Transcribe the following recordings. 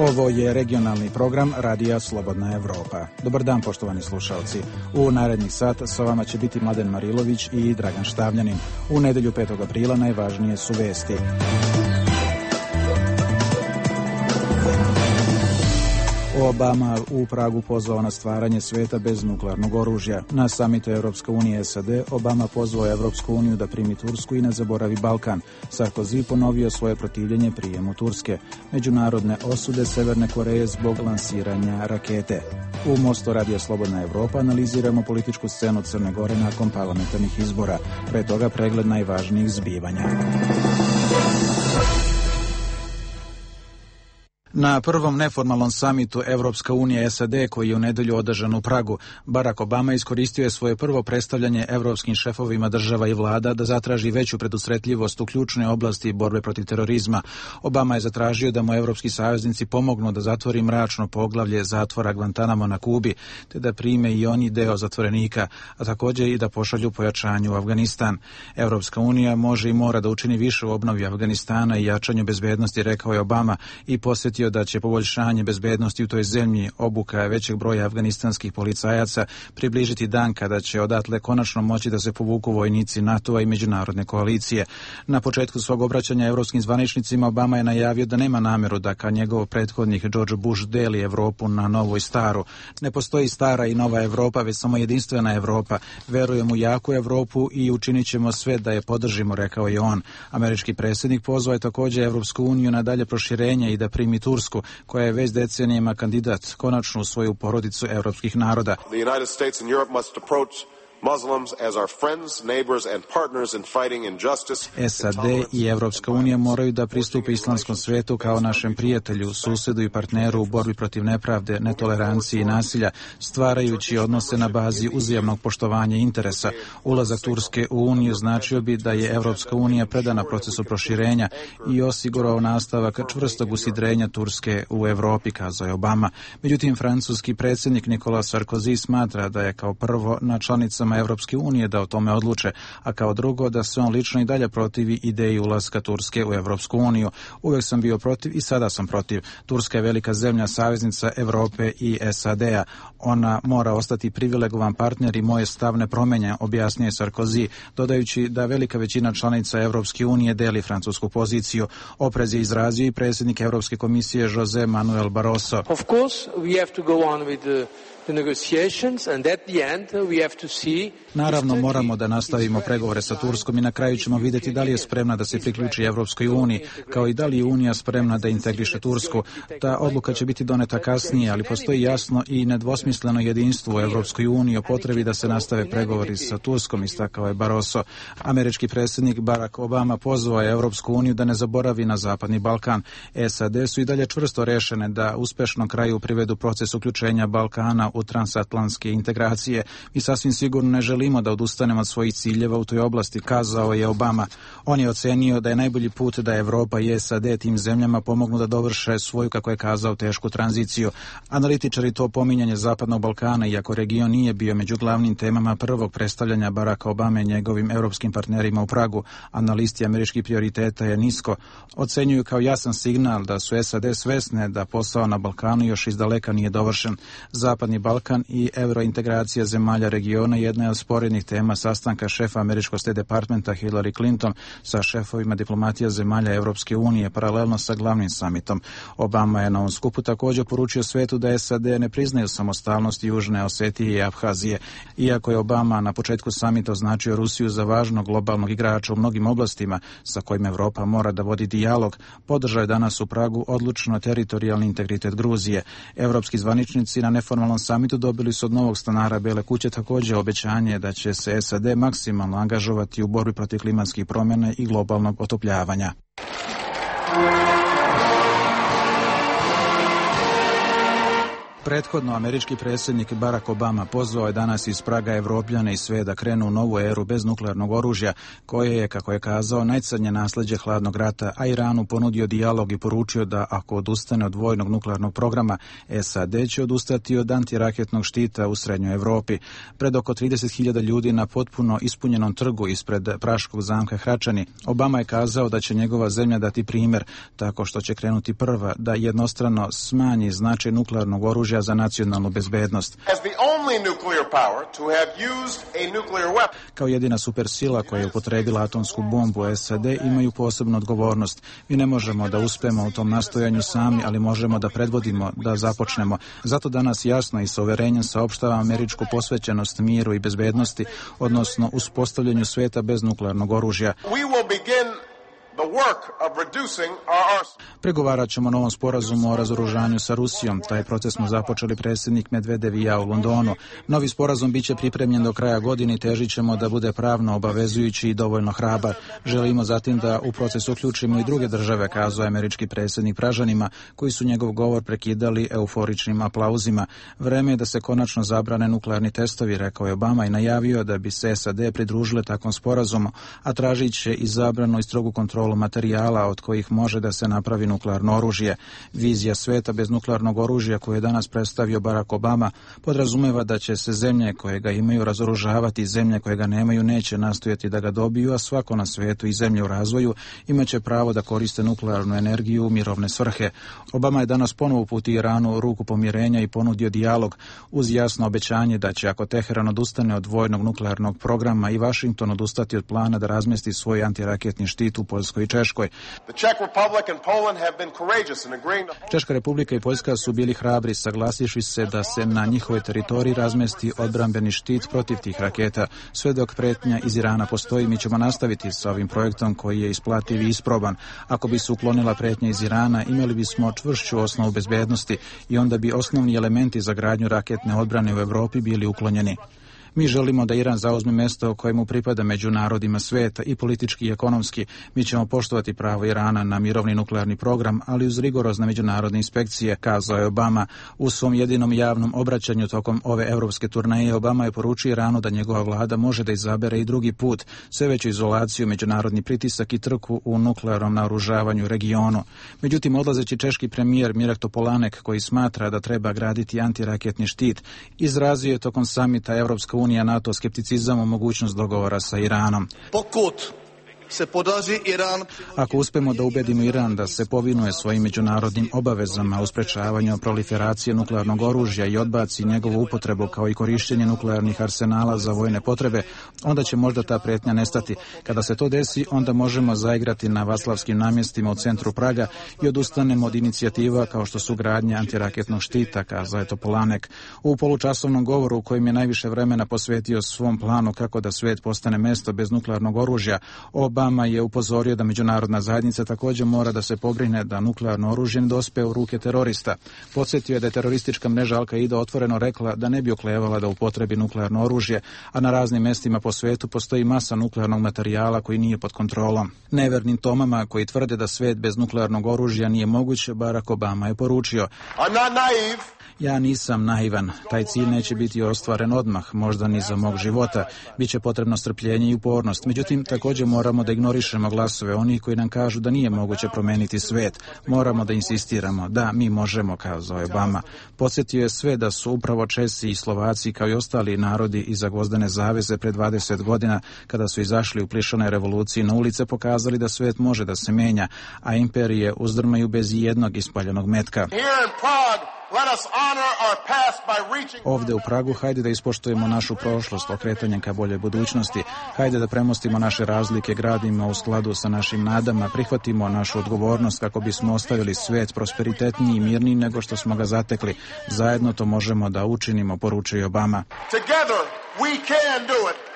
Ovo je regionalni program Radija Slobodna Evropa. Dobar dan, poštovani slušalci. U narednih sat sa vama će biti Mladen Marilović i Dragan Štavljanin. U nedelju 5. aprila najvažnije su vesti. Obama u Pragu pozvao na stvaranje sveta bez nuklearnog oružja. Na samitu Evropska unija i SAD Obama pozvao Evropsku uniju da primi Tursku i ne zaboravi Balkan. Sarkozy ponovio svoje protivljenje prijemu Turske. Međunarodne osude Severne Koreje zbog lansiranja rakete. U Mostu Radija Slobodna Evropa analiziramo političku scenu Crne Gore nakon parlamentarnih izbora. Pre toga pregled najvažnijih zbivanja. Na prvom neformalnom samitu Evropska unija SAD koji je u nedelju održan u Pragu, Barack Obama iskoristio je svoje prvo predstavljanje evropskim šefovima država i vlada da zatraži veću predusretljivost u ključnoj oblasti borbe protiv terorizma. Obama je zatražio da mu evropski saveznici pomognu da zatvori mračno poglavlje zatvora Guantanamo na Kubi, te da prime i oni deo zatvorenika, a također i da pošalju pojačanje u Afganistan. Evropska unija može i mora da učini više u obnovi Afganistana i jačanju bezbednosti, rekao je Obama, i posjetio da će poboljšanje bezbednosti u toj zemlji, obuka većeg broja afganistanskih policajaca približiti dan kada će odatle konačno moći da se povuku vojnici NATO-a i međunarodne koalicije. Na početku svog obraćanja evropskim zvaničnicima Obama je najavio da nema nameru da kao njegov prethodnik George Bush deli Evropu na novu i staru. Ne postoji stara i nova Evropa, već samo jedinstvena Evropa. Verujemo u jaku Evropu i učinit ćemo sve da je podržimo, rekao je on. Američki predsjednik pozvao je također Evropsku uniju na dalje proširenje i da primi Tursku, koja je već decenijama kandidat konačno u svoju porodicu evropskih naroda. The United States and Europe must approach Muslims as our friends, neighbors and partners in fighting injustice. SAD i Evropska unija moraju da pristupe islamskom svetu kao našem prijatelju, susedu i partneru u borbi protiv nepravde, netolerancije i nasilja, stvarajući odnose na bazi uzajamnog poštovanja interesa. Ulazak Turske u Uniju značio bi da je Evropska unija predana procesu proširenja i osigurao nastavak čvrstog usidrenja Turske u Evropi, kazao je Obama. Međutim, francuski predsjednik Nicolas Sarkozy smatra da je kao prvo na članicama Evropske unije da o tome odluče, a kao drugo da se on lično i dalje protivi ideji ulaska Turske u Evropsku uniju. Uvijek sam bio protiv i sada sam protiv. Turska je velika zemlja, saveznica Evrope i SAD-a. Ona mora ostati privilegovan partner i moje stav ne promenja, objasnio je Sarkozy, dodajući da velika većina članica Evropske unije deli francusku poziciju. Oprez je izrazio i predsjednik Evropske komisije José Manuel Barroso. Of course, we have to go on with the negotiations and at the end we have to see. Naravno, moramo da nastavimo pregovore sa Turskom i na kraju ćemo vidjeti da li je spremna da se priključi Evropskoj uniji, kao i da li je Unija spremna da integriše Tursku. Ta odluka će biti doneta kasnije, ali postoji jasno i nedvosmisleno jedinstvo u Evropskoj uniji o potrebi da se nastave pregovori sa Turskom, istakao je Barroso. Američki predsjednik Barack Obama pozvao je Evropsku uniju da ne zaboravi na Zapadni Balkan. SAD su i dalje čvrsto rešene da uspešno kraju privedu proces uključenja Balkana u transatlantske integracije. Mi sasvim sigurno ne želimo da odustanemo od svojih ciljeva u toj oblasti, kazao je Obama. On je ocenio da je najbolji put da Evropa i SAD tim zemljama pomognu da dovrše svoju, kako je kazao, tešku tranziciju. Analitičari to pominjanje Zapadnog Balkana, iako region nije bio među glavnim temama prvog predstavljanja Baracka Obame i njegovim europskim partnerima u Pragu, analisti američkih prioriteta je nisko, ocenjuju kao jasan signal da su SAD svesne da posao na Balkanu još izdaleka nije dovršen. Zapadni Balkan i eurointegracija zemalja regiona jedna je od sporednih tema sastanka šefa američkog State Departmenta Hillary Clinton sa šefovima diplomatija zemalja Evropske unije paralelno sa glavnim samitom. Obama je na ovom skupu također poručio svetu da SAD ne priznaju samostalnost Južne Osetije i Abhazije. Iako je Obama na početku samita označio Rusiju za važnog globalnog igrača u mnogim oblastima sa kojim Evropa mora da vodi dijalog, podržao je danas u Pragu odlučno teritorijalni integritet Gruzije. Evropski zvaničnici na neformalnom samitu dobili su od novog stanara Bele kuće također obećanje da će se SAD maksimalno angažovati u borbi protiv klimatskih promjena i globalnog otopljavanja. Prethodno, američki predsjednik Barack Obama pozvao je danas iz Praga Evropljane i sve da krenu u novu eru bez nuklearnog oružja, koje je, kako je kazao, najcrnje nasleđe hladnog rata, a Iranu ponudio dijalog i poručio da ako odustane od vojnog nuklearnog programa, SAD će odustati od antiraketnog štita u srednjoj Evropi. Pred oko 30.000 ljudi na potpuno ispunjenom trgu ispred praškog zamka Hračani, Obama je kazao da će njegova zemlja dati primjer tako što će krenuti prva da jednostrano smanji značaj nuklearnog oružja za nacionalnu bezbednost. Kao jedina supersila koja je upotrebila atomsku bombu, SAD imaju posebnu odgovornost. Mi ne možemo da uspemo u tom nastojanju sami, ali možemo da predvodimo, da započnemo. Zato danas jasno i sa uverenjem saopštavam američku posvećenost miru i bezbednosti, odnosno uspostavljanju sveta bez nuklearnog oružja. Pregovarat ćemo o novom sporazumu o razoružanju sa Rusijom. Taj proces smo započeli predsjednik Medvedev i ja u Londonu. Novi sporazum biće pripremljen do kraja godine i težit ćemo da bude pravno obavezujući i dovoljno hrabar. Želimo zatim da u proces uključimo i druge države, kazao je američki predsjednik Pražanima, koji su njegov govor prekidali euforičnim aplauzima. Vreme je da se konačno zabrane nuklearni testovi, rekao je Obama i najavio da bi se SAD pridružile takvom sporazumu, a tražit će i zabranu i strogu kontrolu materijala od kojih može da se napravi nuklearno oružje. Vizija sveta bez nuklearnog oružja koju je danas predstavio Barack Obama podrazumeva da će se zemlje koje ga imaju razoružavati i zemlje koje ga nemaju neće nastojati da ga dobiju, a svako na svetu i zemlje u razvoju imaće pravo da koriste nuklearnu energiju u mirovne svrhe. Obama je danas ponovo uputio Iranu ruku pomirenja i ponudio dijalog uz jasno obećanje da će, ako Teheran odustane od vojnog nuklearnog programa, i Washington odustati od plana da razmesti svoj antiraketni štit u Poljskoj i Češkoj. Češka republika i Poljska su bili hrabri, saglasivši se da se na njihovoj teritoriji razmesti odbrambeni štit protiv tih raketa. Sve dok pretnja iz Irana postoji, mi ćemo nastaviti sa ovim projektom koji je isplativ i isproban. Ako bi se uklonila pretnja iz Irana, imali bismo čvršću osnovu bezbednosti i onda bi osnovni elementi za gradnju raketne odbrane u Evropi bili uklonjeni. Mi želimo da Iran zauzme mesto kojemu pripada među narodima sveta i politički i ekonomski. Mi ćemo poštovati pravo Irana na mirovni nuklearni program, ali uz rigorozne međunarodne inspekcije, kazao je Obama. U svom jedinom javnom obraćanju tokom ove evropske turneje Obama je poručio Iranu da njegova vlada može da izabere i drugi put, sve veću izolaciju, međunarodni pritisak i trku u nuklearnom naoružavanju regionu. Međutim, odlazeći češki premijer Mirek Topolanek, koji smatra da treba graditi antiraketni štit, izrazio je tokom samita Evropska unija NATO skepticizam o mogućnost dogovora sa Iranom. Ako uspemo da ubedimo Iran da se povinuje svojim međunarodnim obavezama u sprečavanju proliferacije nuklearnog oružja i odbaci njegovu upotrebu kao i korištenje nuklearnih arsenala za vojne potrebe, onda će možda ta pretnja nestati. Kada se to desi, onda možemo zaigrati na Vaslavskim namjestima u centru Praga i odustanemo od inicijativa kao što su gradnja antiraketnog štita, kazao je Topolanek. U polučasovnom govoru u kojem je najviše vremena posvetio svom planu kako da svet postane mesto bez nuklearnog oružja, Obama je upozorio da međunarodna zajednica također mora da se pobrine da nuklearno oružje ne dospe u ruke terorista. Podsjetio je da je teroristička mreža Al-Qaida otvoreno rekla da ne bi oklevala da upotrebi nuklearno oružje, a na raznim mestima po svetu postoji masa nuklearnog materijala koji nije pod kontrolom. Nevernim Tomama koji tvrde da svet bez nuklearnog oružja nije moguć, Barack Obama je poručio: Ja nisam naivan, taj cilj neće biti ostvaren odmah, možda ni za mog života, biće potrebno strpljenje i upornost. Međutim, također moramo da ignorišemo glasove onih koji nam kažu da nije moguće promeniti svet. Moramo da insistiramo, da, mi možemo, kazao je Obama. Podsjetio je sve da su upravo Česi i Slovaci kao i ostali narodi iza Gvozdene zaveze pred 20 godina, kada su izašli u plišane revoluciji na ulice, pokazali da svet može da se menja, a imperije uzdrmaju bez jednog ispaljenog metka. Ovde u Pragu, hajde da ispoštujemo našu prošlost okretanjem ka boljoj budućnosti. Hajde da premostimo naše razlike, gradimo u skladu sa našim nadama, prihvatimo našu odgovornost kako bismo ostavili svet prosperitetniji i mirniji nego što smo ga zatekli. Zajedno to možemo da učinimo, poručuje Obama. Together we can do it.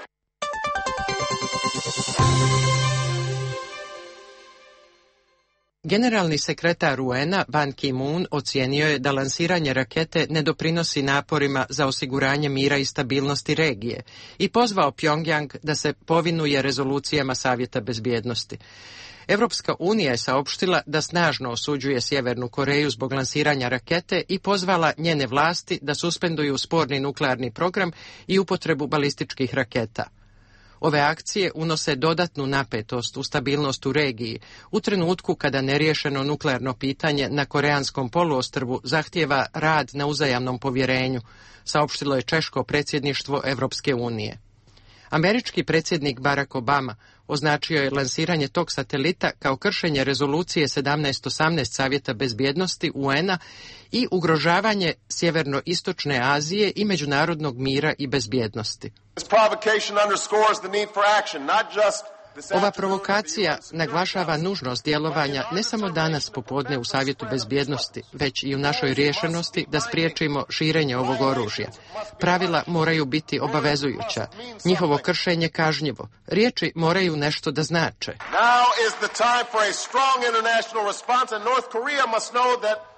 Generalni sekretar UN-a Ban Ki-moon ocijenio je da lansiranje rakete ne doprinosi naporima za osiguranje mira i stabilnosti regije i pozvao Pjongjang da se povinuje rezolucijama Savjeta bezbjednosti. Evropska unija je saopštila da snažno osuđuje Sjevernu Koreju zbog lansiranja rakete i pozvala njene vlasti da suspenduju sporni nuklearni program i upotrebu balističkih raketa. Ove akcije unose dodatnu napetost u stabilnost u regiji u trenutku kada neriješeno nuklearno pitanje na Koreanskom poluostrvu zahtijeva rad na uzajamnom povjerenju, saopštilo je češko predsjedništvo Evropske unije. Američki predsjednik Barack Obama označio je lansiranje tog satelita kao kršenje rezolucije 1718 Savjeta bezbjednosti UN-a i ugrožavanje Sjeverno-istočne Azije i međunarodnog mira i bezbjednosti. Ova provokacija naglašava nužnost djelovanja ne samo danas popodne u Savjetu bezbjednosti, već i u našoj rješenosti da spriječimo širenje ovog oružja. Pravila moraju biti obavezujuća, njihovo kršenje kažnjivo, riječi moraju nešto da znače.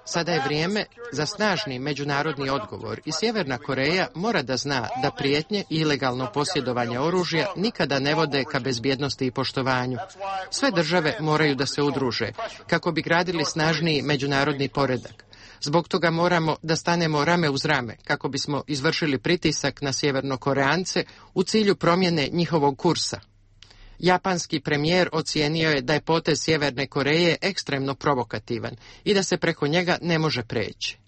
Sada je vrijeme za snažni međunarodni odgovor i Sjeverna Koreja mora da zna da prijetnje i ilegalno posjedovanje oružja nikada ne vode ka bezbjednosti i poštovanju. Sve države moraju da se udruže kako bi gradili snažniji međunarodni poredak. Zbog toga moramo da stanemo rame uz rame kako bismo izvršili pritisak na Sjevernokoreance u cilju promjene njihovog kursa. Japanski premijer ocijenio je da je potez Sjeverne Koreje ekstremno provokativan i da se preko njega ne može preći.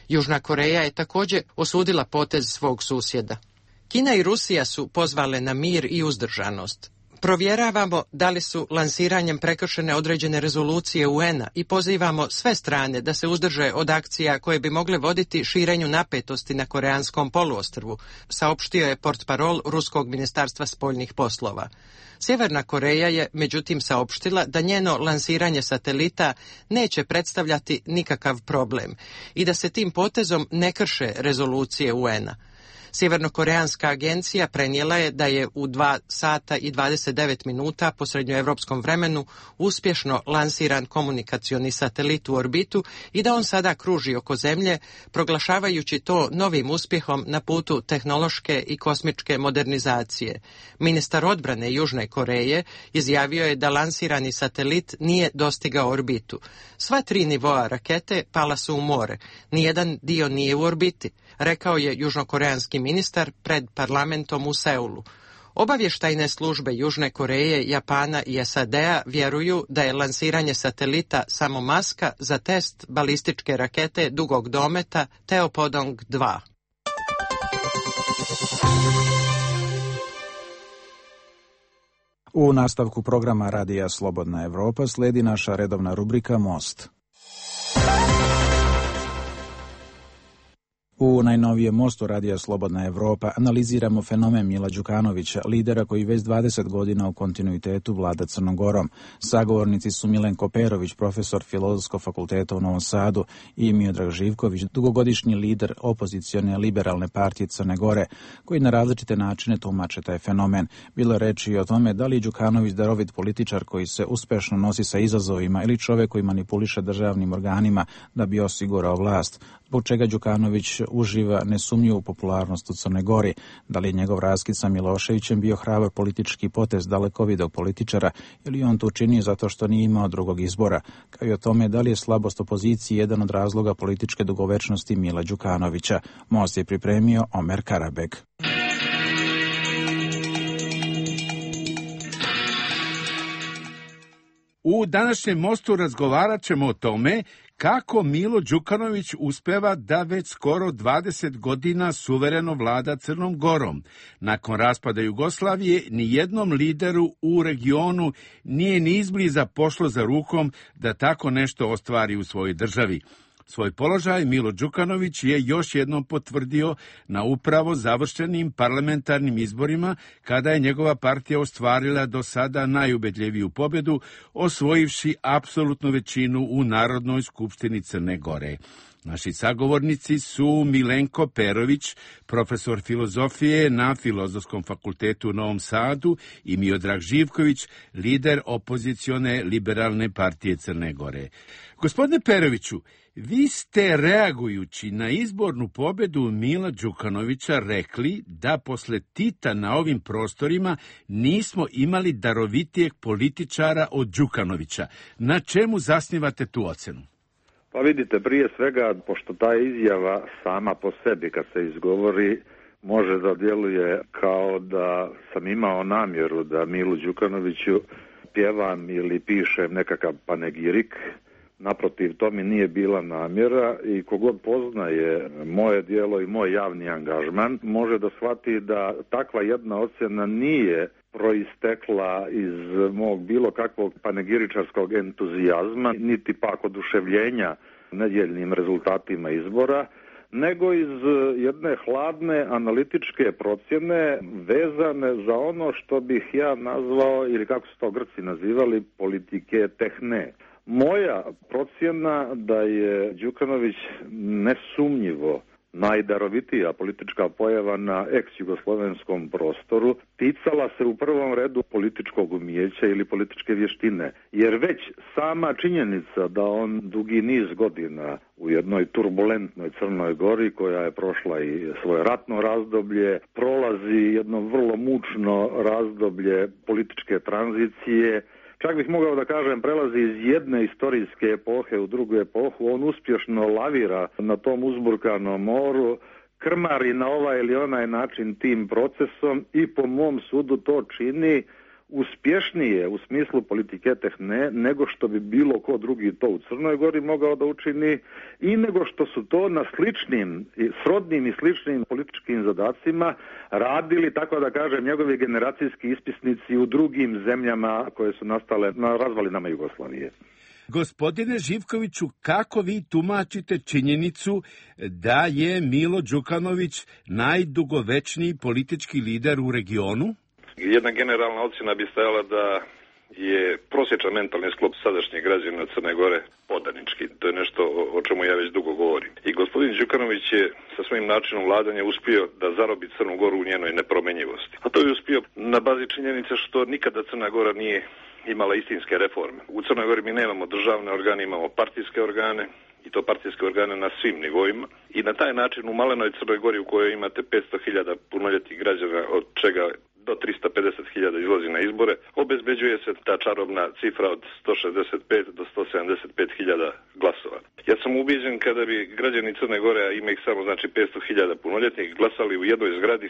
Južna Koreja je također osudila potez svog susjeda. Kina i Rusija su pozvale na mir i uzdržanost. Provjeravamo da li su lansiranjem prekršene određene rezolucije UN-a i pozivamo sve strane da se uzdrže od akcija koje bi mogle voditi širenju napetosti na Koreanskom poluostrvu, saopštio je portparol Ruskog ministarstva spoljnih poslova. Sjeverna Koreja je međutim saopštila da njeno lansiranje satelita neće predstavljati nikakav problem i da se tim potezom ne krše rezolucije UN-a. Sjevernokoreanska agencija prenijela je da je u 2 sata i 29 minuta po srednjoevropskom vremenu uspješno lansiran komunikacioni satelit u orbitu i da on sada kruži oko Zemlje, proglašavajući to novim uspjehom na putu tehnološke i kosmičke modernizacije. Ministar odbrane Južne Koreje izjavio je da lansirani satelit nije dostigao orbitu. Sva 3 nivoa rakete pala su u more, nijedan dio nije u orbiti, rekao je južnokoreanski ministar pred parlamentom u Seulu. Obavještajne službe Južne Koreje, Japana i SAD-a vjeruju da je lansiranje satelita samo maska za test balističke rakete dugog dometa Teopodong 2. U nastavku programa Radija Slobodna Evropa slijedi naša redovna rubrika Most. U najnovijem Mostu Radija Slobodna Evropa analiziramo fenomen Mila Đukanovića, lidera koji već 20 godina u kontinuitetu vlada Crnom Gorom. Sagovornici su Milenko Perović, profesor Filozofskog fakulteta u Novom Sadu, i Miodrag Živković, dugogodišnji lider opozicione liberalne partije Crne Gore, koji na različite načine tumače taj fenomen. Bilo je reči i o tome da li je Đukanović darovit političar koji se uspešno nosi sa izazovima ili čovjek koji manipuliše državnim organima da bi osigurao vlast. Zbog čega Đukanović uživa nesumnjivu popularnost u Crnoj Gori, da li je njegov raskid sa Miloševićem bio hrabar politički potez dalekovidog političara ili on to učinio zato što nije imao drugog izbora, kao i o tome da li je slabost opozicije jedan od razloga političke dugovečnosti Mila Đukanovića. Most je pripremio Omer Karabeg. U današnjem Mostu razgovarat ćemo o tome kako Milo Đukanović uspeva da već skoro 20 godina suvereno vlada Crnom Gorom. Nakon raspada Jugoslavije, ni jednom lideru u regionu nije ni izbliza pošlo za rukom da tako nešto ostvari u svojoj državi. Svoj položaj Milo Đukanović je još jednom potvrdio na upravo završenim parlamentarnim izborima, kada je njegova partija ostvarila do sada najubedljiviju pobjedu, osvojivši apsolutnu većinu u Narodnoj skupštini Crne Gore. Naši sagovornici su Milenko Perović, profesor filozofije na Filozofskom fakultetu u Novom Sadu, i Miodrag Živković, lider opozicione Liberalne partije Crne Gore. Gospodine Peroviću, vi ste reagujući na izbornu pobedu Mila Đukanovića rekli da posle Tita na ovim prostorima nismo imali darovitijeg političara od Đukanovića. Na čemu zasnivate tu ocenu? Pa vidite, prije svega, pošto ta izjava sama po sebi kad se izgovori može da djeluje kao da sam imao namjeru da Milu Đukanoviću pjevam ili pišem nekakav panegirik. Naprotiv, to mi nije bila namjera i kogod poznaje moje djelo i moj javni angažman može da shvati da takva jedna ocjena nije proistekla iz mog bilo kakvog panegiričarskog entuzijazma, niti pak oduševljenja nedjeljnim rezultatima izbora, nego iz jedne hladne analitičke procjene vezane za ono što bih ja nazvao, ili kako su to Grci nazivali, politike tehne. Moja procjena da je Đukanović nesumnjivo najdarovitija politička pojava na ex-jugoslovenskom prostoru ticala se u prvom redu političkog umijeća ili političke vještine. Jer već sama činjenica da on dugi niz godina u jednoj turbulentnoj Crnoj Gori koja je prošla i svoje ratno razdoblje, prolazi jedno vrlo mučno razdoblje političke tranzicije, čak bih mogao da kažem prelazi iz jedne istorijske epohe u drugu epohu, on uspješno lavira na tom uzburkanom moru, krmari na ovaj ili onaj način tim procesom i po mom sudu to čini uspješnije u smislu politike tehne nego što bi bilo ko drugi to u Crnoj Gori mogao da učini i nego što su to na sličnim, srodnim i sličnim političkim zadacima radili, tako da kažem, njegovi generacijski ispisnici u drugim zemljama koje su nastale na razvalinama Jugoslavije. Gospodine Živkoviću, kako vi tumačite činjenicu da je Milo Đukanović najdugovečniji politički lider u regionu? Jedna generalna ocjena bi stajala da je prosječan mentalni sklop sadašnjeg građana Crne Gore podanički. To je nešto o čemu ja već dugo govorim. I gospodin Đukanović je sa svojim načinom vladanja uspio da zarobi Crnu Goru u njenoj nepromenjivosti. A to je uspio na bazi činjenice što nikada Crna Gora nije imala istinske reforme. U Crnoj Gori mi nemamo državne organe, imamo partijske organe, i to partijske organe na svim nivoima. I na taj način u malenoj Crnoj Gori u kojoj imate 500.000 punoljetnih građana, od čega do 350.000 izlazi na izbore, obezbeđuje se ta čarobna cifra od 165 do 175.000 glasova. Ja sam ubijeđen kada bi građani Crne Gore, a ima ih samo znači 500.000 punoljetnih, glasali u jednoj zgradi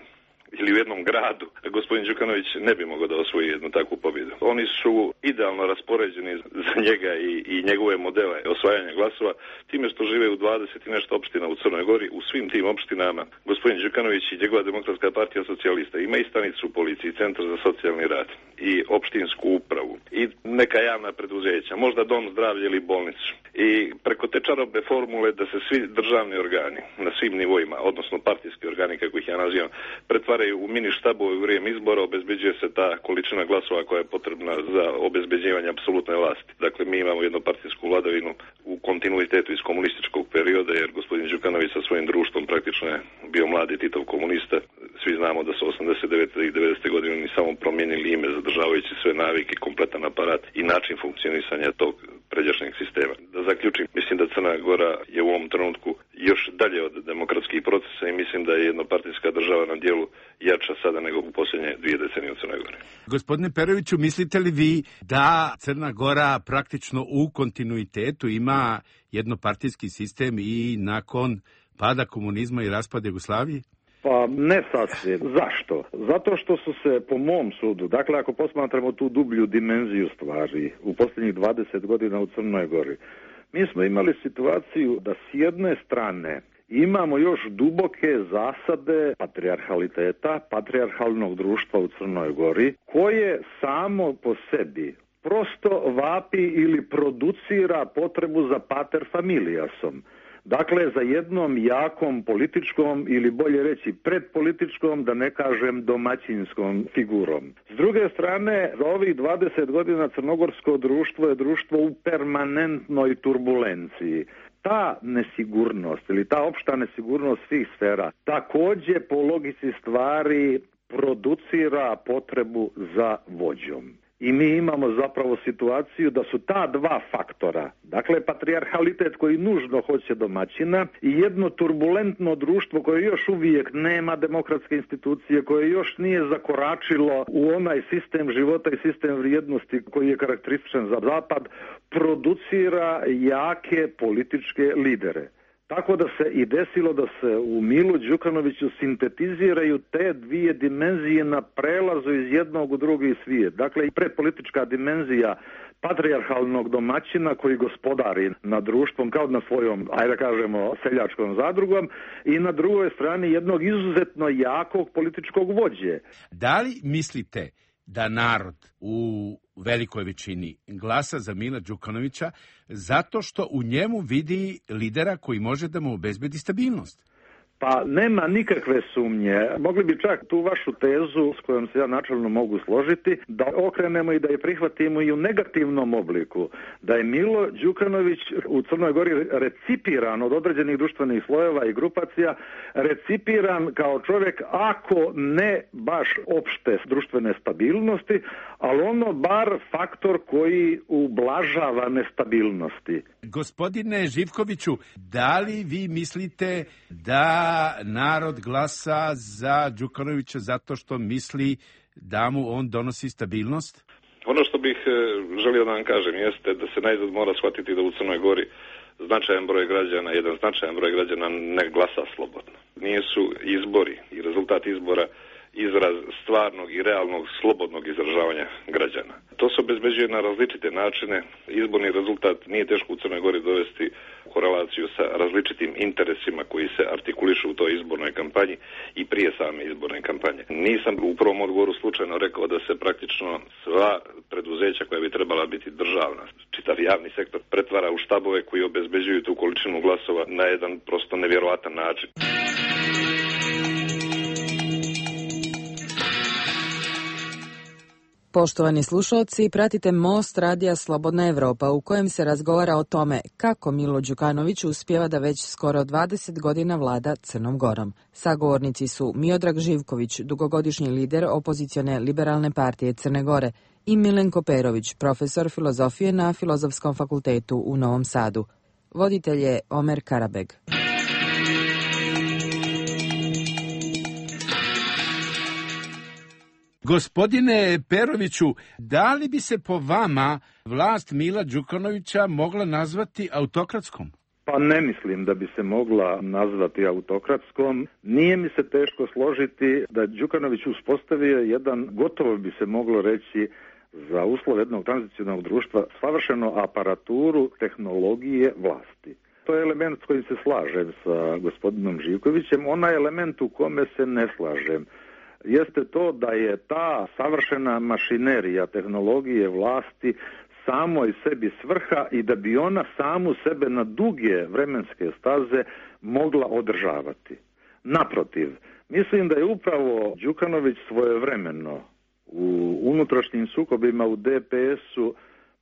ili u jednom gradu, gospodin Đukanović ne bi mogao da osvoji jednu takvu pobjedu. Oni su idealno raspoređeni za njega i njegove modele osvajanja glasova, time što žive u 20 i nešto opština u Crnoj Gori. U svim tim opštinama gospodin Đukanović i njegova Demokratska partija socijalista ima i stanicu u policiji, centar za socijalni rad i opštinsku upravu i neka javna preduzeća, možda dom zdravlja ili bolnicu. I preko te čarobne formule da se svi državni organi na svim nivoima, odnosno partijski organi kako ih ja nazivam, pretvaraju u mini štabove u vrijeme izbora, obezbeđuje se ta količina glasova koja je potrebna za obezbeđivanje apsolutne vlasti. Dakle, mi imamo jednopartijsku vladavinu u kontinuitetu iz komunističkog perioda, jer gospodin Đukanović sa svojim društvom praktično je bio mladi Titov komunista. Svi znamo da su 89. i 90. godine oni samo promijenili ime zadržavajući sve navike, kompletan aparat i način funkcionisanja tog pređašnjeg sistema. Da zaključim, mislim da Crna Gora je u ovom trenutku još dalje od demokratskih procesa i mislim da je jednopartijska država na dijelu jača sada nego u posljednje 2 decenije u Crnoj Gori. Gospodine Peroviću, mislite li vi da Crna Gora praktično u kontinuitetu ima jednopartijski sistem i nakon pada komunizma i raspada Jugoslavije? Pa ne sasvim. Zašto? Zato što su se, po mom sudu, dakle ako posmatramo tu dublju dimenziju stvari u posljednjih 20 godina u Crnoj Gori, mi smo imali situaciju da s jedne strane imamo još duboke zasade patrijarhaliteta, patrijarhalnog društva u Crnoj Gori, koje samo po sebi prosto vapi ili producira potrebu za pater familiasom. Dakle, za jednom jakom političkom ili bolje reći predpolitičkom, da ne kažem domaćinskom figurom. S druge strane, za ovih 20 godina crnogorsko društvo je društvo u permanentnoj turbulenciji. ta nesigurnost ili ta opšta nesigurnost svih sfera takođe po logici stvari producira potrebu za vođom. I mi imamo zapravo situaciju da su ta dva faktora, dakle patrijarhalitet koji nužno hoće domaćina i jedno turbulentno društvo koje još uvijek nema demokratske institucije, koje još nije zakoračilo u onaj sistem života i sistem vrijednosti koji je karakterističan za Zapad, producira jake političke lidere. Tako da se i desilo da se u Milu Đukanoviću sintetiziraju te dvije dimenzije na prelazu iz jednog u drugi svijet. Dakle, i predpolitička dimenzija patrijarhalnog domaćina koji gospodari nad društvom kao na svojom, ajde da kažemo, seljačkom zadrugom i na drugoj strani jednog izuzetno jakog političkog vođe. Da li mislite da narod u velikoj većini glasa za Mila Đukanovića zato što u njemu vidi lidera koji može da mu obezbedi stabilnost? Pa nema nikakve sumnje. Mogli bi čak tu vašu tezu, s kojom se ja načelno mogu složiti, da okrenemo i da je prihvatimo i u negativnom obliku. Da je Milo Đukanović u Crnoj Gori recipiran od određenih društvenih slojeva i grupacija, recipiran kao čovjek, ako ne baš opšte društvene stabilnosti, ali ono bar faktor koji ublažava nestabilnosti. Gospodine Živkoviću, da li vi mislite da narod glasa za Đukanovića zato što misli da mu on donosi stabilnost? Ono što bih želio da vam kažem jeste da se najzad mora shvatiti da u Crnoj Gori značajan broj građana, jedan značajan broj građana ne glasa slobodno. Nisu izbori i rezultat izbora izraz stvarnog i realnog slobodnog izražavanja građana. To se obezbeđuje na različite načine. Izborni rezultat nije teško u Crnoj Gori dovesti u korelaciju sa različitim interesima koji se artikulišu u toj izbornoj kampanji i prije same izborne kampanje. Nisam u prvom odgovoru slučajno rekao da se praktično sva preduzeća koja bi trebala biti državna, čitav javni sektor, pretvara u štabove koji obezbeđuju tu količinu glasova na jedan prosto nevjerovatan način. Poštovani slušalci, pratite Most radija Slobodna Evropa u kojem se razgovara o tome kako Milo Đukanović uspijeva da već skoro 20 godina vlada Crnom Gorom. Sagovornici su Miodrag Živković, dugogodišnji lider opozicione Liberalne partije Crne Gore, i Milenko Perović, profesor filozofije na Filozofskom fakultetu u Novom Sadu. Voditelj je Omer Karabeg. Gospodine Peroviću, da li bi se po vama vlast Mila Đukanovića mogla nazvati autokratskom? Pa ne mislim da bi se mogla nazvati autokratskom. Nije mi se teško složiti da Đukanović uspostavio jedan, gotovo bi se moglo reći, za uslov jednog tranzicionalnog društva savršenu aparaturu tehnologije vlasti. To je element s kojim se slažem sa gospodinom Živkovićem. Onaj element u kome se ne slažem jeste to da je ta savršena mašinerija tehnologije vlasti samoj sebi svrha i da bi ona samu sebe na duge vremenske staze mogla održavati. Naprotiv, mislim da je upravo Đukanović svojevremeno u unutrašnjim sukobima u DPS-u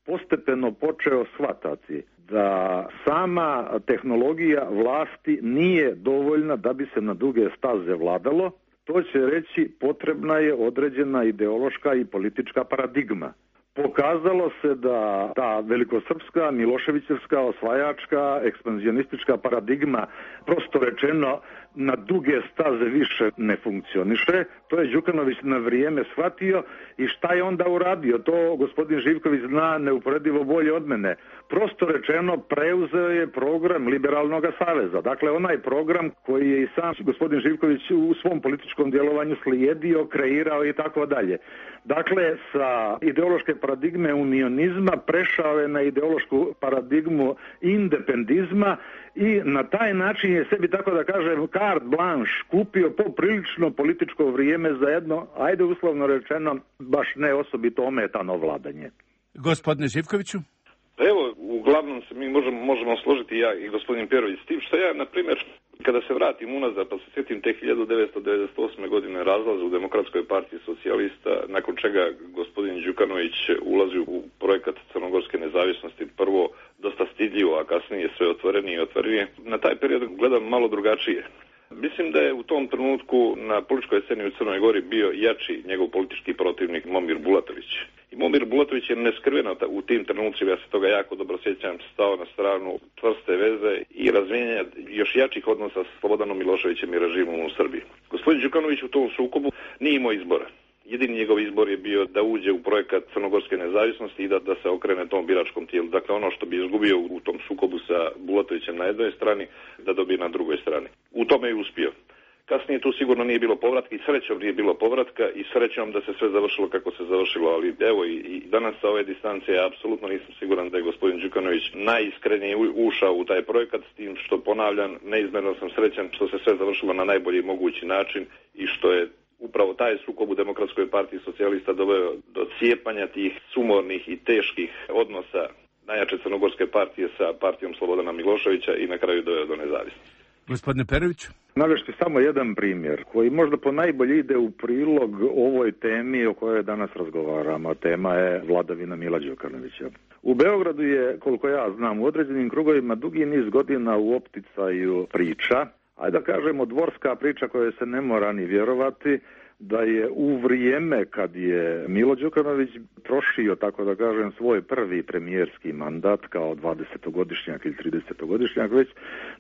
postepeno počeo shvatati da sama tehnologija vlasti nije dovoljna da bi se na duge staze vladalo. To će reći potrebna je određena ideološka i politička paradigma. Pokazalo se da ta velikosrpska, miloševićevska, osvajačka, ekspanzionistička paradigma, prosto rečeno, na duge staze više ne funkcioniše. To je Đukanović na vrijeme shvatio i šta je onda uradio? To gospodin Živković zna neuporedivo bolje od mene. Prosto rečeno, preuzeo je program Liberalnog saveza. Dakle, onaj program koji je i sam gospodin Živković u svom političkom djelovanju slijedio, kreirao i tako dalje. Dakle, sa ideološke paradigme unionizma prešao je na ideološku paradigmu independizma i na taj način je sebi, tako da kažem, carte blanche kupio poprilično političko vrijeme za jedno, ajde uslovno rečeno, baš ne osobito ometano vladanje. Gospodine Živkoviću? Evo, uglavnom se mi možemo složiti ja i gospodin Perović s tim što ja, na primjer, kada se vratim unazad pa se sjetim te 1998. godine razlaza u Demokratskoj partiji socijalista, nakon čega gospodin Đukanović ulazi u projekat crnogorske nezavisnosti, prvo dosta stidljivo, a kasnije sve otvorenije i otvorenije. Na taj period gledam malo drugačije. Mislim da je u tom trenutku na političkoj sceni u Crnoj Gori bio jači njegov politički protivnik Momir Bulatović. I Momir Bulatović je neskrveno u tim trenucima, ja se toga jako dobro sjećam, stao na stranu čvrste veze i razvijenja još jačih odnosa s Slobodanom Miloševićem i režimom u Srbiji. Gospodin Đukanović u tom sukobu nije imao izbora. Jedini njegov izbor je bio da uđe u projekat crnogorske nezavisnosti i da se okrene tom biračkom tijelu. Dakle, ono što bi izgubio u tom sukobu sa Bulatovićem na jednoj strani, da dobije na drugoj strani. U tome je uspio. Kasnije tu sigurno nije bilo povratka i srećom nije bilo povratka i srećom da se sve završilo kako se završilo, ali evo i danas sa ove distance ja apsolutno nisam siguran da je gospodin Đukanović najiskrenije ušao u taj projekat, s tim što ponavljam, neizmjerno sam srećan što se sve završilo na najbolji mogući način i što je upravo taj sukob u Demokratskoj partiji socijalista doveo do cijepanja tih sumornih i teških odnosa najjače crnogorske partije sa partijom Slobodana Miloševića i na kraju doveo do nezavisnosti. Gospodine Perović. Navešti samo jedan primjer koji možda po najbolji ide u prilog ovoj temi o kojoj danas razgovaramo. Tema je vladavina Mila Đukanovića. U Beogradu je, koliko ja znam, u određenim krugovima dugi niz godina u opticaju priča, ajde da kažemo dvorska priča koja se ne mora ni vjerovati, da je u vrijeme kad je Milo Đukanović trošio, tako da kažem, svoj prvi premijerski mandat kao 20-godišnjak ili 30-godišnjak već,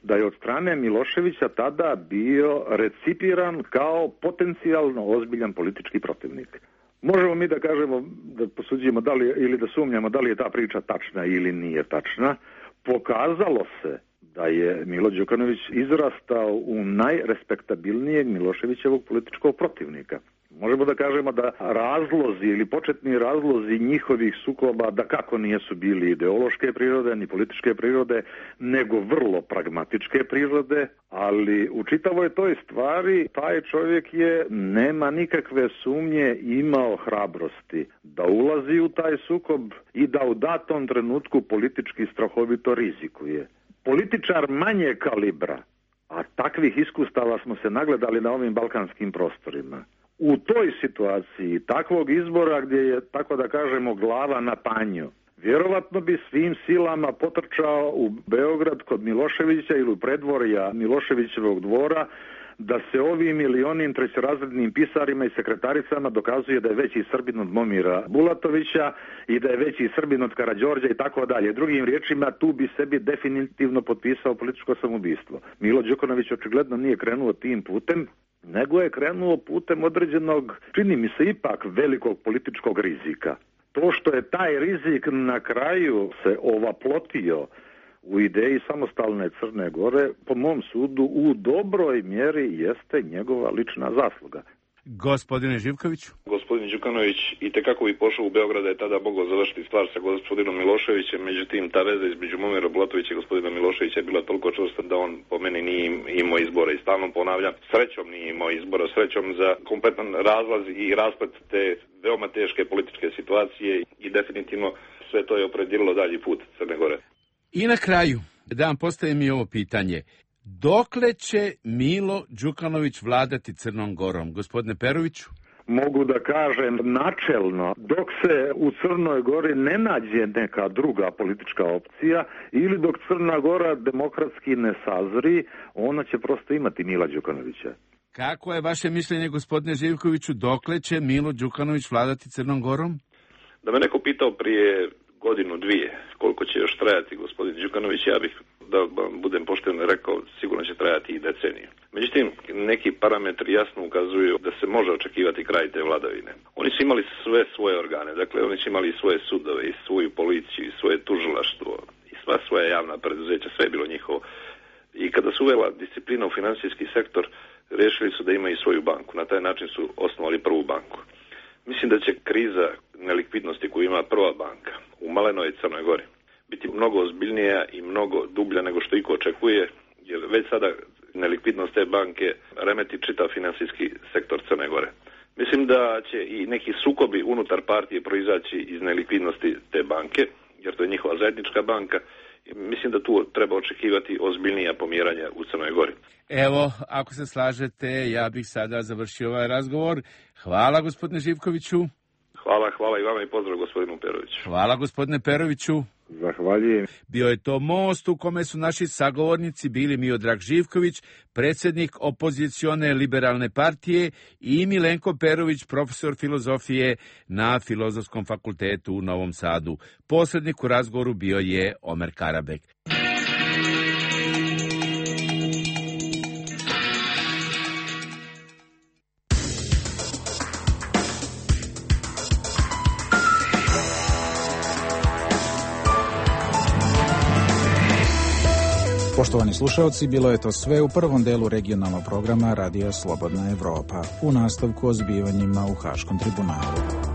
da je od strane Miloševića tada bio recipiran kao potencijalno ozbiljan politički protivnik. Možemo mi da kažemo, da posuđujemo da li, ili da sumnjamo da li je ta priča tačna ili nije tačna. Pokazalo se da je Milo Đukanović izrastao u najrespektabilnijeg Miloševićevog političkog protivnika. Možemo da kažemo da razlozi ili početni razlozi njihovih sukoba da kako nisu bili ideološke prirode ni političke prirode, nego vrlo pragmatičke prirode, ali u čitavoj toj stvari taj čovjek je, nema nikakve sumnje, imao hrabrosti da ulazi u taj sukob i da u datom trenutku politički strahovito rizikuje. Političar manje kalibra, a takvih iskustava smo se nagledali na ovim balkanskim prostorima. U toj situaciji, takvog izbora gdje je, tako da kažemo, glava na panju, vjerovatno bi svim silama potrčao u Beograd kod Miloševića ili u predvorja Miloševićevog dvora, da se ovim ili onim trećerazrednim pisarima i sekretaricama dokazuje da je veći Srbin od Momira Bulatovića i da je veći Srbin od Karađorđa i tako dalje. Drugim riječima, tu bi sebi definitivno potpisao političko samoubistvo. Milo Đukanović očigledno nije krenuo tim putem, nego je krenuo putem određenog, čini mi se ipak, velikog političkog rizika. To što je taj rizik na kraju se ovaplotio u ideji samostalne Crne Gore, po mom sudu, u dobroj mjeri jeste njegova lična zasluga. Gospodine Živkoviću. Gospodin Đukanović itekako bi pošao u Beograd, je tada mogao završiti stvar sa gospodinom Miloševićem, međutim ta veza između Momira Bulatovića i gospodina Miloševića je bila toliko čvrsta da on po meni nije imao izbora i stalno ponavljam, srećom nije imao izbora, srećom za kompletan razlaz i rasplet te veoma teške političke situacije i definitivno sve to je opredijelilo dalji put Crne Gore. I na kraju, da vam postavim i ovo pitanje. Dokle će Milo Đukanović vladati Crnom Gorom? Gospodine Peroviću? Mogu da kažem načelno, dok se u Crnoj Gori ne nađe neka druga politička opcija ili dok Crna Gora demokratski ne sazri, ona će prosto imati Mila Đukanovića. Kako je vaše mišljenje, gospodine Živkoviću, dokle će Milo Đukanović vladati Crnom Gorom? Da me neko pitao prije godinu, dvije, koliko će još trajati gospodin Đukanović, ja bih, da budem pošten, rekao, sigurno će trajati i deceniju. Međutim, neki parametri jasno ukazuju da se može očekivati kraj te vladavine. Oni su imali sve svoje organe, dakle oni su imali svoje sudove i svoju policiju i svoje tužilaštvo i sva svoja javna preduzeća, sve je bilo njihovo. I kada su uvela disciplina u financijski sektor, rešili su da imaju svoju banku. Na taj način su osnovali prvu banku. Mislim da će kriza nelikvidnosti koju ima prva banka u malenoj Crnoj Gori biti mnogo ozbiljnija i mnogo dublja nego što iko očekuje, jer već sada nelikvidnost te banke remeti čitav financijski sektor Crne Gore. Mislim da će i neki sukobi unutar partije proizaći iz nelikvidnosti te banke, jer to je njihova zajednička banka. Mislim da tu treba očekivati ozbiljnija pomjeranja u Crnoj Gori. Evo, ako se slažete, ja bih sada završio ovaj razgovor. Hvala, gospodine Živkoviću. Hvala. Hvala i vama i pozdrav gospodinu Peroviću. Hvala gospodine Peroviću. Zahvaljujem. Bio je to most u kome su naši sagovornici bili Miodrag Živković, predsjednik opozicione liberalne partije, i Milenko Perović, profesor filozofije na Filozofskom fakultetu u Novom Sadu. Posrednik u razgovoru bio je Omer Karabek. Poštovani slušalci, bilo je to sve u prvom delu regionalnog programa Radija Slobodna Evropa. U nastavku o zbivanjima u Haškom tribunalu.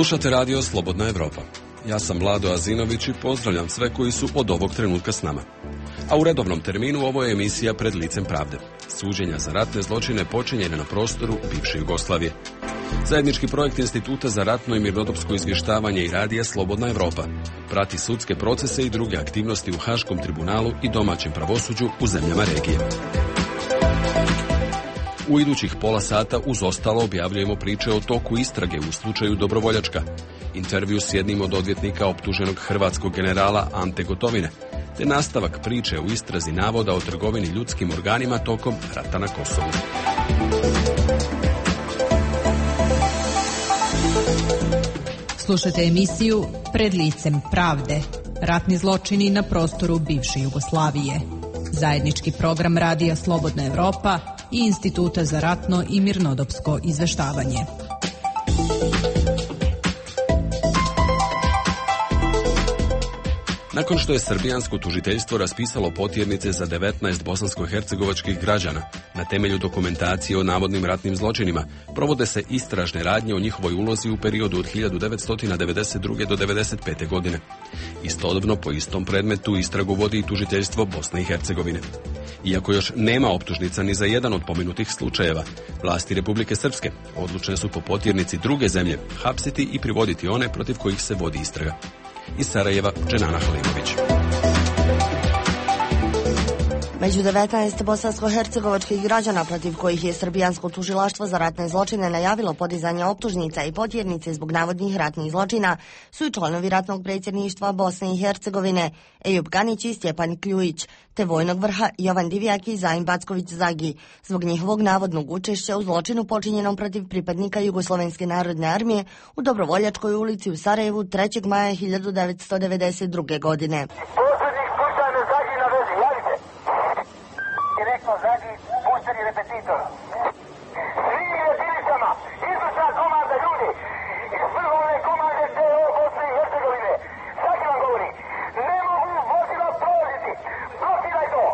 Slušate radio Slobodna Evropa. Ja sam Vlado Azinović i pozdravljam sve koji su od ovog trenutka s nama. A u redovnom terminu ovo je emisija Pred licem pravde. Suđenja za ratne zločine počinjene na prostoru bivše Jugoslavije. Zajednički projekt Instituta za ratno i mirnodopsko izvještavanje i radija Slobodna Evropa prati sudske procese i druge aktivnosti u Haškom tribunalu i domaćem pravosuđu u zemljama regije. U idućih pola sata uz ostalo objavljujemo priče o toku istrage u slučaju Dobrovoljačka, intervju s jednim od odvjetnika optuženog hrvatskog generala Ante Gotovine, te nastavak priče u istrazi navoda o trgovini ljudskim organima tokom rata na Kosovu. Slušajte emisiju Pred licem pravde. Ratni zločini na prostoru bivše Jugoslavije. Zajednički program Radija Slobodna Evropa i Instituta za ratno i mirnodopsko izveštavanje. Nakon što je srbijansko tužiteljstvo raspisalo potjernice za 19 bosansko-hercegovačkih građana na temelju dokumentacije o navodnim ratnim zločinima, provode se istražne radnje o njihovoj ulozi u periodu od 1992. do 1995. godine. Istodobno po istom predmetu istragu vodi i tužiteljstvo Bosne i Hercegovine. Iako još nema optužnica ni za jedan od pomenutih slučajeva, vlasti Republike Srpske odlučne su po potjernici druge zemlje hapsiti i privoditi one protiv kojih se vodi istraga. Iz Sarajeva, Dženana Halimović. Među 19 bosansko-hercegovačkih građana protiv kojih je srbijansko tužilaštvo za ratne zločine najavilo podizanje optužnica i potjernice zbog navodnih ratnih zločina su i članovi ratnog predsjedništva Bosne i Hercegovine Ejub Ganić i Stjepan Kljujić, te vojnog vrha Jovan Divjak i Zajin Backović-Zagi, zbog njihovog navodnog učešća u zločinu počinjenom protiv pripadnika Jugoslovenske narodne armije u Dobrovoljačkoj ulici u Sarajevu 3. maja 1992. godine. Zagi, pušteni repetitor. Svim jedinicama, izvršna komanda ljudi iz vrhovne komande TO Bosne i Hercegovine. Zagi vam govori, ne mogu vozila prolaziti. Blokiraj to.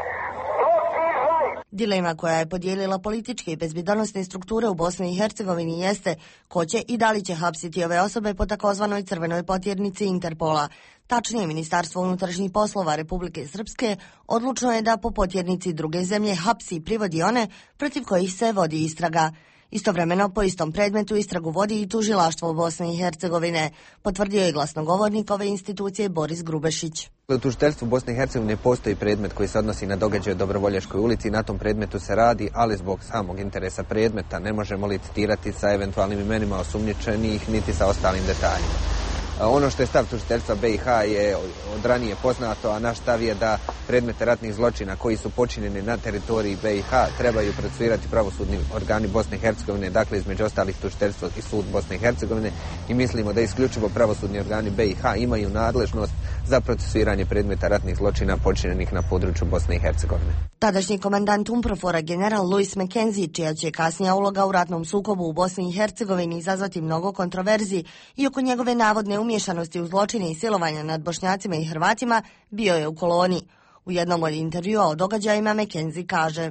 Blokiraj. Dilema koja je podijelila političke i bezbjednosne strukture u Bosni i Hercegovini jeste ko će i da li će hapsiti ove osobe po takozvanoj crvenoj potjernici Interpola. Tačnije, Ministarstvo unutrašnjih poslova Republike Srpske odlučno je da po potjernici druge zemlje hapsi i privodi one protiv kojih se vodi istraga. Istovremeno po istom predmetu istragu vodi i tužilaštvo Bosne i Hercegovine, potvrdio je glasnogovornik ove institucije Boris Grubešić. U tužiteljstvu Bosne i Hercegovine postoji predmet koji se odnosi na događaje u Dobrovoljačkoj ulici, na tom predmetu se radi, ali zbog samog interesa predmeta ne možemo licitirati sa eventualnim imenima osumnjičenih niti sa ostalim detaljima. Ono što je stav tužiteljstva BiH je od ranije poznato, a naš stav je da predmete ratnih zločina koji su počinjeni na teritoriji BiH trebaju procesuirati pravosudni organi Bosne i Hercegovine, dakle između ostalih tužiteljstvo i sud Bosne i Hercegovine, i mislimo da isključivo pravosudni organi BiH imaju nadležnost za procesuiranje predmeta ratnih zločina počinjenih na području Bosne i Hercegovine. Tadašnji komandant UNPROFOR-a general Louis McKenzie, čija će kasnija uloga u ratnom sukobu u Bosni i Hercegovini izazvati mnogo kontroverzi i oko njegove navodne umješanosti u zločine i silovanja nad Bošnjacima i Hrvatima, bio je u koloni. U jednom od intervjua o događajima McKenzie kaže: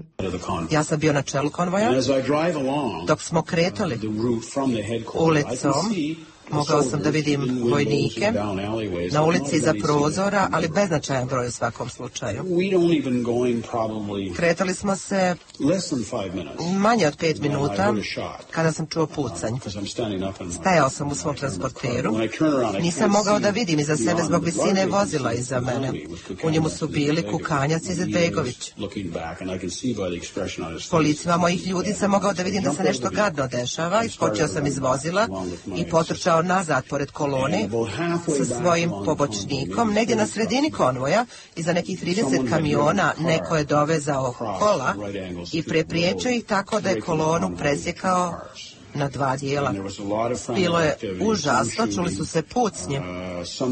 Ja sam bio na čelu konvoja. Dok smo kretali ulicom, mogao sam da vidim vojnike na ulici iza prozora, ali beznačajan broj u svakom slučaju. Kretali smo se manje od 5 minuta kada sam čuo pucanj. Stajao sam u svom transporteru. Nisam mogao da vidim iza sebe zbog visine vozila iza mene. U njemu su bili Kukanjac i Izetbegović. Po licima mojih ljudi sam mogao da vidim da se nešto gadno dešava. Iskočio sam iz vozila i potrčao nazad pored kolone sa svojim pomoćnikom. Negdje na sredini konvoja, iza nekih 30 kamiona, neko je dovezao kola i prepriječio ih tako da je kolonu presjekao na 2 dijela. Bilo je užasno, čuli su se pucnje.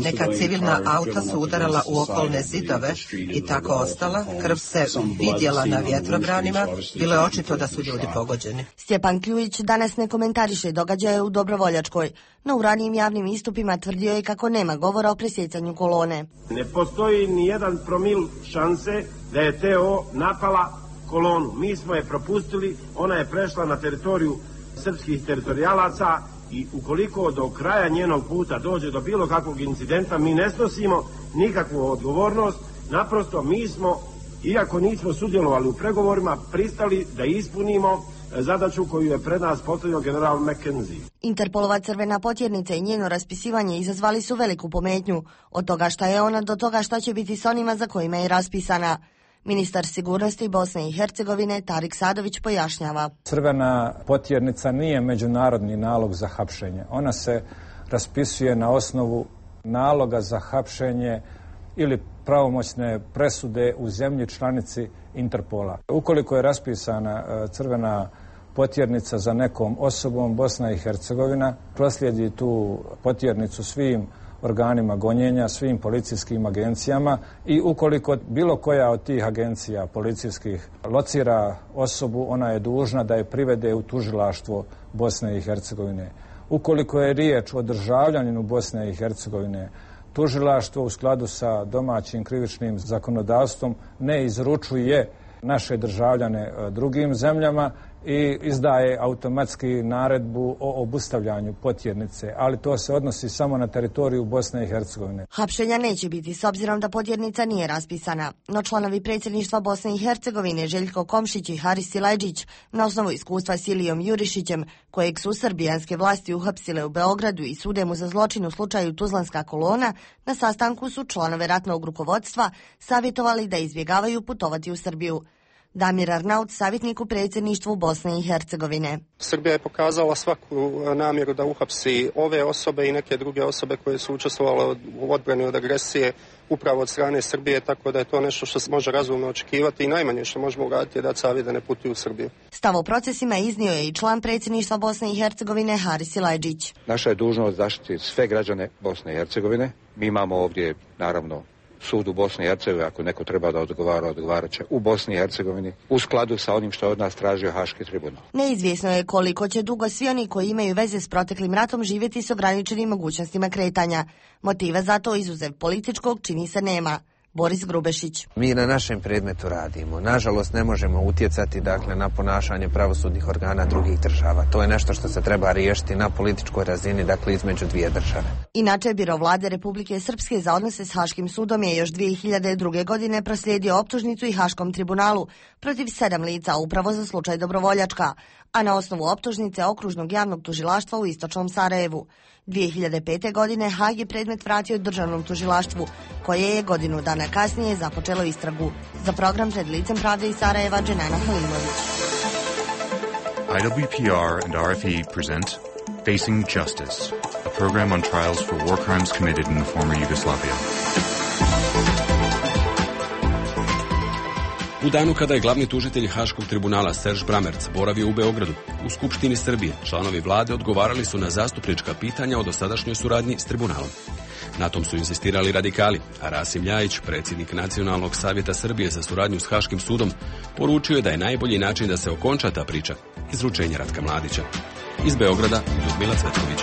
Neka civilna auta su udarala u okolne zidove i tako ostala. Krv se vidjela na vjetrobranima. Bilo je očito da su ljudi pogođeni. Stjepan Kljujić danas ne komentariše događaje u Dobrovoljačkoj, no u ranijim javnim istupima tvrdio je kako nema govora o presjecanju kolone. Ne postoji ni jedan promil šanse da je TO napala kolonu. Mi smo je propustili, ona je prešla na teritoriju srpskih teritorijalaca i ukoliko do kraja njenog puta dođe do bilo kakvog incidenta, mi ne snosimo nikakvu odgovornost. Naprosto mi smo, iako nismo sudjelovali u pregovorima, pristali da ispunimo zadaću koju je pred nas postavio general McKenzie. Interpolova crvena potjernica i njeno raspisivanje izazvali su veliku pometnju, od toga šta je ona do toga šta će biti s onima za kojima je raspisana. Ministar sigurnosti Bosne i Hercegovine Tarik Sadović pojašnjava. Crvena potjernica nije međunarodni nalog za hapšenje. Ona se raspisuje na osnovu naloga za hapšenje ili pravomoćne presude u zemlji članici Interpola. Ukoliko je raspisana crvena potjernica za nekom osobom, Bosna i Hercegovina proslijedi tu potjernicu svim organima gonjenja, svim policijskim agencijama i ukoliko bilo koja od tih agencija policijskih locira osobu, ona je dužna da je privede u tužilaštvo Bosne i Hercegovine. Ukoliko je riječ o državljaninu Bosne i Hercegovine, tužilaštvo u skladu sa domaćim krivičnim zakonodavstvom ne izručuje naše državljane drugim zemljama i izdaje automatski naredbu o obustavljanju potjernice, ali to se odnosi samo na teritoriju Bosne i Hercegovine. Hapšenja neće biti s obzirom da potjernica nije raspisana, no članovi predsjedništva Bosne i Hercegovine Željko Komšić i Haris Silajdžić na osnovu iskustva s Ilijom Jurišićem, kojeg su srbijanske vlasti uhapsile u Beogradu i sude mu za zločin u slučaju Tuzlanska kolona, na sastanku su članove ratnog rukovodstva savjetovali da izbjegavaju putovati u Srbiju. Damir Arnaut, savjetnik u predsjedništvu Bosne i Hercegovine. Srbija je pokazala svaku namjeru da uhapsi ove osobe i neke druge osobe koje su učestvovale u odbrani od agresije upravo od strane Srbije, tako da je to nešto što se može razumno očekivati i najmanje što možemo uraditi je da savjet da ne putuju u Srbiju. Stav o procesima iznio je i član predsjedništva Bosne i Hercegovine Haris Silajdžić. Naša je dužnost zaštiti sve građane Bosne i Hercegovine. Mi imamo ovdje, naravno, sud u Bosni i Hercegovini, ako neko treba da odgovara, odgovarat će u Bosni i Hercegovini u skladu sa onim što je od nas tražio Haški tribunal. Neizvjesno je koliko će dugo svi oni koji imaju veze s proteklim ratom živjeti s ograničenim mogućnostima kretanja. Motiva za to, izuzev političkog, čini se nema. Boris Grubešić. Mi na našem predmetu radimo. Nažalost, ne možemo utjecati na ponašanje pravosudnih organa drugih država. To je nešto što se treba riješiti na političkoj razini, između dvije države. Inače, Biro vlade Republike Srpske za odnose s Haškim sudom je još 2002. godine proslijedio optužnicu i Haškom tribunalu protiv 7 lica upravo za slučaj Dobrovoljačka, a na osnovu optužnice Okružnog javnog tužilaštva u Istočnom Sarajevu. 2005. godine Haag je predmet vratio državnom tužilaštvu, koje je godinu dana kasnije započelo istragu. Za program Pred licem pravde iz Sarajeva, Dženana Halimović. IWPR and RFE present Facing Justice, a program on trials for war crimes committed in the former Yugoslavia. U danu kada je glavni tužitelj Haškog tribunala Serž Bramerc boravio u Beogradu, u Skupštini Srbije, članovi vlade odgovarali su na zastupnička pitanja o dosadašnjoj suradnji s tribunalom. Na tom su insistirali radikali, a Rasim Ljajić, predsjednik Nacionalnog savjeta Srbije za suradnju s Haškim sudom, poručio je da je najbolji način da se okonča ta priča izručenje Ratka Mladića. Iz Beograda, Ljudmila Cvetković.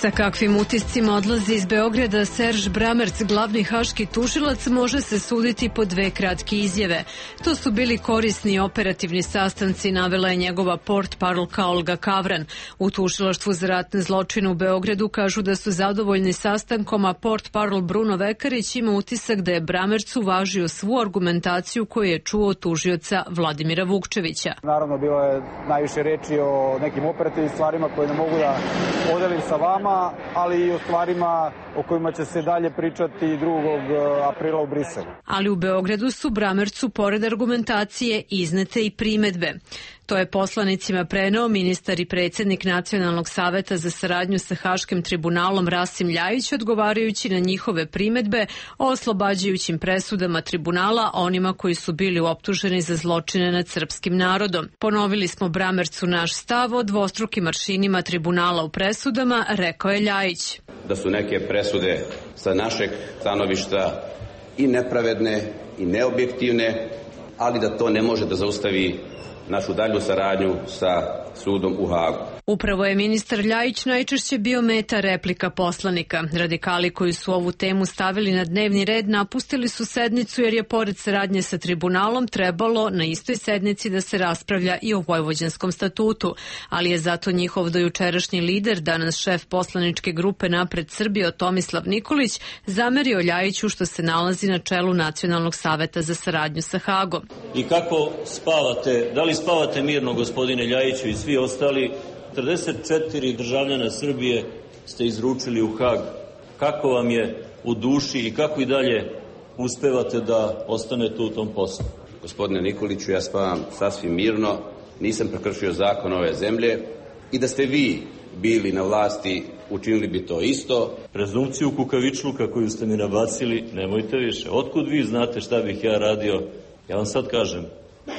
Sa kakvim utiscima odlazi iz Beograda Serž Bramerc, glavni haški tužilac, može se suditi po 2 kratke izjave. To su bili korisni i operativni sastanci, navela je njegova portparolka Olga Kavran. U tužilaštvu za ratne zločine u Beogradu kažu da su zadovoljni sastankom, a portparol Bruno Vekarić ima utisak da je Bramerc uvažio svu argumentaciju koju je čuo od tužioca Vladimira Vukčevića. Naravno, bilo je najviše reči o nekim operativnim stvarima koje ne mogu da podelim sa vama, ali i o stvarima o kojima će se dalje pričati 2. aprila u Briselu. Ali u Beogradu su Bramercu, pored argumentacije, iznete i primedbe. To je poslanicima preneo ministar i predsjednik Nacionalnog saveta za saradnju sa Haškim tribunalom Rasim Ljajić, odgovarajući na njihove primedbe o oslobađajućim presudama tribunala onima koji su bili optuženi za zločine nad srpskim narodom. Ponovili smo Bramercu naš stav o dvostrukim aršinima tribunala u presudama, rekao je Ljajić. Da su neke presude sa našeg stanovišta i nepravedne i neobjektivne, ali da to ne može da zaustavi našu dalju saradnju sa sudom u Hagu. Upravo je ministar Ljajić najčešće bio meta replika poslanika. Radikali koji su ovu temu stavili na dnevni red napustili su sednicu jer je pored saradnje sa tribunalom trebalo na istoj sednici da se raspravlja i o Vojvođanskom statutu, ali je zato njihov dojučerašnji lider, danas šef poslaničke grupe Napred Srbijo Tomislav Nikolić, zamerio Ljajiću što se nalazi na čelu Nacionalnog saveta za saradnju sa Hagom. I kako spavate? Da li spavate mirno, gospodine Ljajiću i svi ostali? 44 državljana Srbije ste izručili u Hag. Kako vam je u duši i kako i dalje uspevate da ostanete u tom poslu? Gospodine Nikoliću, ja spavam sasvim mirno, nisam prekršio zakon ove zemlje i da ste vi bili na vlasti, učinili bi to isto. Prezumciju kukavičluka koju ste mi nabacili, nemojte više. Otkud vi znate šta bih ja radio? Ja vam sad kažem,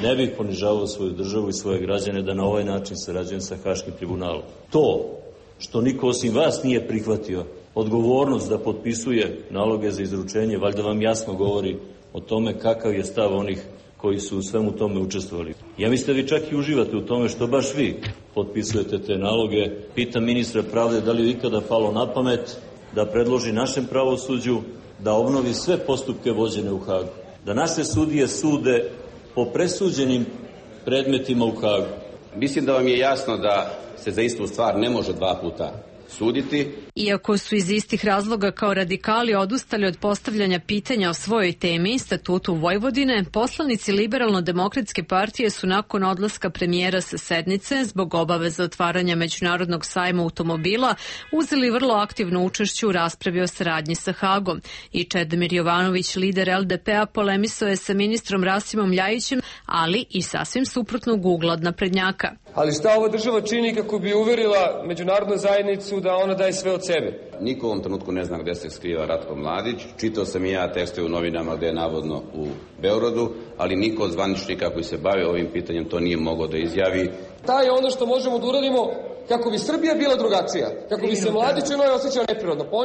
ne bih ponižavao svoju državu i svoje građane da na ovaj način sarađujem sa Haškim tribunalom. To što niko osim vas nije prihvatio odgovornost da potpisuje naloge za izručenje, valjda vam jasno govori o tome kakav je stav onih koji su u svemu tome učestvovali. Ja mislim da vi čak i uživate u tome što baš vi potpisujete te naloge. Pitam ministra pravde da li je ikada palo na pamet da predloži našem pravosuđu da obnovi sve postupke vođene u Hagu. Da naše sudije sude po presuđenim predmetima u Hagu. Mislim da vam je jasno da se za istu stvar ne može 2 puta suditi. Iako su iz istih razloga kao radikali odustali od postavljanja pitanja o svojoj temi, statutu Vojvodine, poslanici Liberalno-demokratske partije su nakon odlaska premijera sa sednice zbog obaveza otvaranja Međunarodnog sajma automobila uzeli vrlo aktivno učešće u raspravi o saradnji sa Hagom. I Čedomir Jovanović, lider LDP-a, polemisao je sa ministrom Rasimom Ljajićem, ali i sasvim suprotnog ugla od naprednjaka. Ali šta ova država čini kako bi uverila međunarodnu zajednicu da ona daje sve od sebe? Niko u ovom trenutku ne zna gde se skriva Ratko Mladić. Čitao sam i ja tekste u novinama gde je navodno u Beogradu, ali niko od zvaničnika koji se bave ovim pitanjem to nije mogao da izjavi. Da je ono što možemo da uradimo kako bi Srbija bila drugačija, kako bi se Mladić u njoj osjećao neprirodno. Pa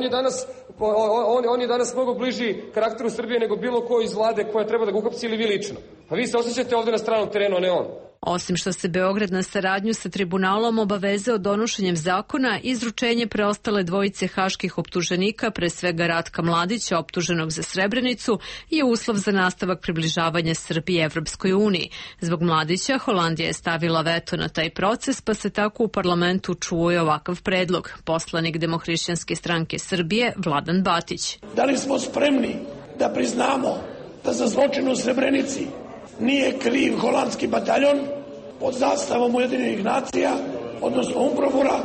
on je danas mnogo bliži karakteru Srbije nego bilo ko iz vlade koja treba da ga uhapsi ili vi lično. Pa vi se osjećate ovde na stranom terenu, a ne on. Osim što se Beograd na saradnju sa tribunalom obavezao donošenjem zakona, izručenje preostale dvojice haških optuženika, pre svega Ratka Mladića, optuženog za Srebrenicu, je uslov za nastavak približavanja Srbije Evropskoj uniji. Zbog Mladića, Holandija je stavila veto na taj proces, pa se tako u parlamentu čuo i ovakav predlog. Poslanik Demohrišćanske stranke Srbije, Vladan Batić. Da li smo spremni da priznamo da za zločin u Srebrenici nije kriv holandski bataljon pod zastavom Ujedinjenih nacija, odnosno UNPROFOR-a,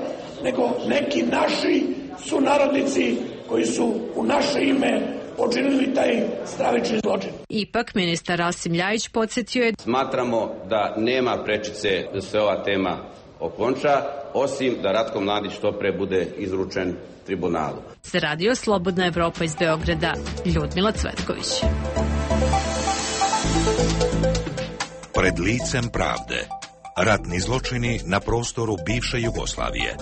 nego neki naši sunarodnici koji su u naše ime počinili taj stravični zločin. Ipak, ministar Rasim Ljajić podsjetio je: Smatramo da nema prečice da se ova tema okonča, osim da Ratko Mladić što pre bude izručen tribunalu. Za Radio Slobodna Evropa iz Beograda, Ljudmila Cvetković. Pred licem pravde. Ratni zločini na prostoru bivše Jugoslavije.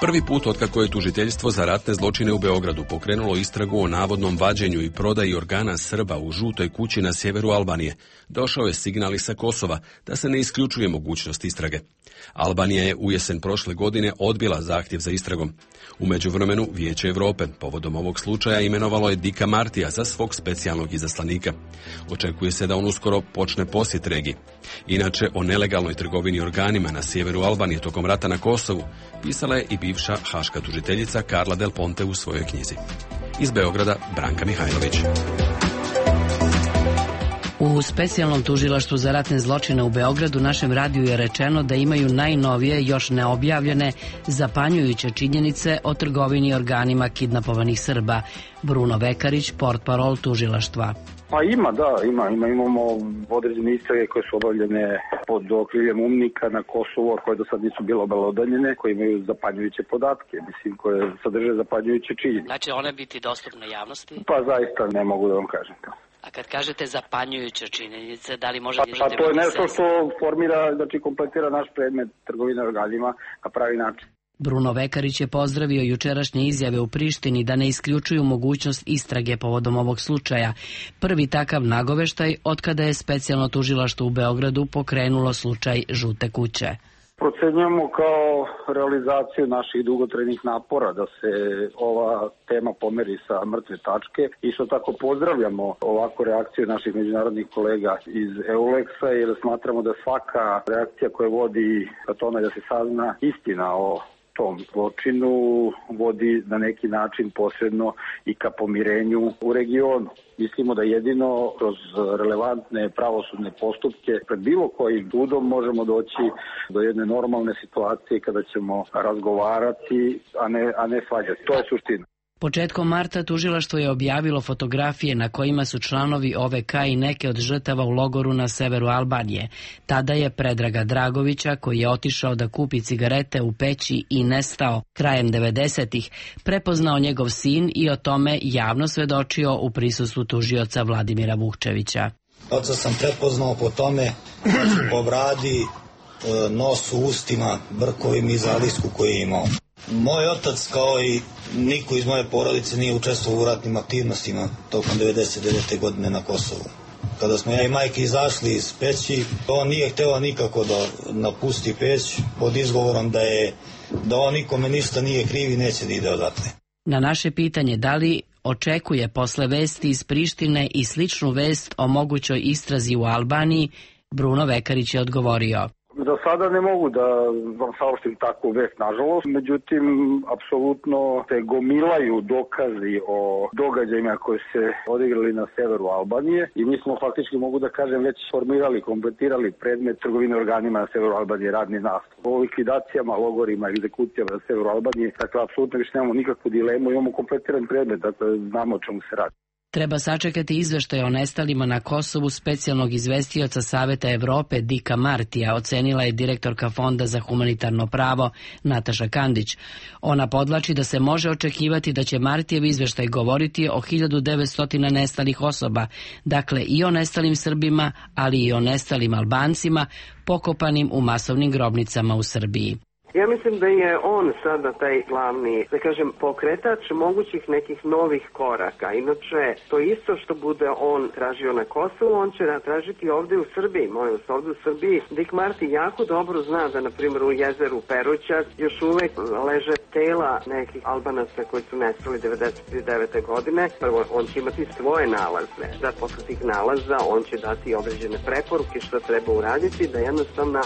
Prvi put otkako je tužiteljstvo za ratne zločine u Beogradu pokrenulo istragu o navodnom vađenju i prodaji organa Srba u žutoj kući na sjeveru Albanije, došao je signal sa Kosova da se ne isključuje mogućnost istrage. Albanija je u jesen prošle godine odbila zahtjev za istragom. U međuvremenu Vijeće Europe povodom ovog slučaja imenovalo je Dika Martija za svog specijalnog izaslanika. Očekuje se da on uskoro počne posjet regiji. Inače, o nelegalnoj trgovini organima na sjeveru Albanije tokom rata na Kosovu pisala je i bivša haška tužiteljica Carla Del Ponte u svojoj knjizi. Iz Beograda, Branka Mihajlović. U specijalnom tužilaštvu za ratne zločine u Beogradu našem radiju je rečeno da imaju najnovije, još neobjavljene, zapanjujuće činjenice o trgovini organima kidnapovanih Srba. Bruno Vekarić, portparol tužilaštva. Pa imamo određene istrage koje su obavljene pod okriljem UMNIK-a na Kosovu, a koje do sad nisu bile obelodanjene, koje imaju zapanjujuće podatke, koje sadrže zapanjujuće činjenice. Znači one biti dostupne javnosti? Pa zaista ne mogu da vam kažem to. A kad kažete zapanjujuće činjenice, da li možete... Pa to je nešto što formira, znači kompletira naš predmet trgovine organima na pravi način. Bruno Vekarić je pozdravio jučerašnje izjave u Prištini da ne isključuju mogućnost istrage povodom ovog slučaja. Prvi takav nagoveštaj otkada je specijalno tužilaštvo u Beogradu pokrenulo slučaj Žute kuće. Procenjujemo kao realizaciju naših dugotrajnih napora da se ova tema pomeri sa mrtve tačke. Isto tako pozdravljamo ovakvu reakciju naših međunarodnih kolega iz EULEX-a jer smatramo da svaka reakcija koja vodi ka tome da se sazna istina o tom zločinu vodi na neki način posredno i ka pomirenju u regionu. Mislimo da jedino kroz relevantne pravosudne postupke pred bilo kojim sudom možemo doći do jedne normalne situacije kada ćemo razgovarati, a ne svađati. To je suština. Početkom marta tužilaštvo je objavilo fotografije na kojima su članovi OVK i neke od žrtava u logoru na severu Albanije. Tada je Predraga Dragovića, koji je otišao da kupi cigarete u Peći i nestao krajem 90-ih, prepoznao njegov sin i o tome javno svedočio u prisustvu tužioca Vladimira Vukčevića. Oca sam prepoznao po tome, po bradi, nosu, ustima, brkovima i zalisku koji je imao. Moj otac, kao i niko iz moje porodice, nije učestvovao u ratnim aktivnostima tokom 99. godine na Kosovu. Kada smo ja i majke izašli iz Peći, on nije hteo nikako da napusti Peć pod izgovorom da on nikome ništa nije kriv i neće da ide odatle. Na naše pitanje da li očekuje posle vesti iz Prištine i sličnu vest o mogućoj istrazi u Albaniji, Bruno Vekarić je odgovorio: Za sada ne mogu da vam saopštim takvu vest, nažalost. Međutim, apsolutno se gomilaju dokazi o događajima koji se odigrali na severu Albanije i mi smo faktički, mogu da kažem, već formirali, kompletirali predmet trgovine organima na severu Albanije, radni nastup. O likvidacijama, logorima, egzekucijama na severu Albanije, dakle, apsolutno više nemamo nikakvu dilemu, imamo kompletiran predmet, dakle, znamo o čemu se radi. Treba sačekati izveštaj o nestalima na Kosovu specijalnog izvestioca Saveta Evrope Dika Martija, ocenila je direktorka Fonda za humanitarno pravo Nataša Kandić. Ona podvlači da se može očekivati da će Martijev izveštaj govoriti o 1900 nestalih osoba, dakle i o nestalim Srbima, ali i o nestalim Albancima, pokopanim u masovnim grobnicama u Srbiji. Ja mislim da je on sada taj glavni, da kažem, pokretač mogućih nekih novih koraka. Inače, to isto što bude on tražio na Kosovu, on će tražiti ovdje u Srbiji. Molim vas, ovdje u Srbiji. Dick Marty jako dobro zna da, na primjer, u jezeru Peruća još uvek leže tela nekih Albanaca koji su nestali 1999. godine. Prvo, on će imati svoje nalaze. Da posle tih nalaza on će dati određene preporuke što treba uraditi, da jednostavno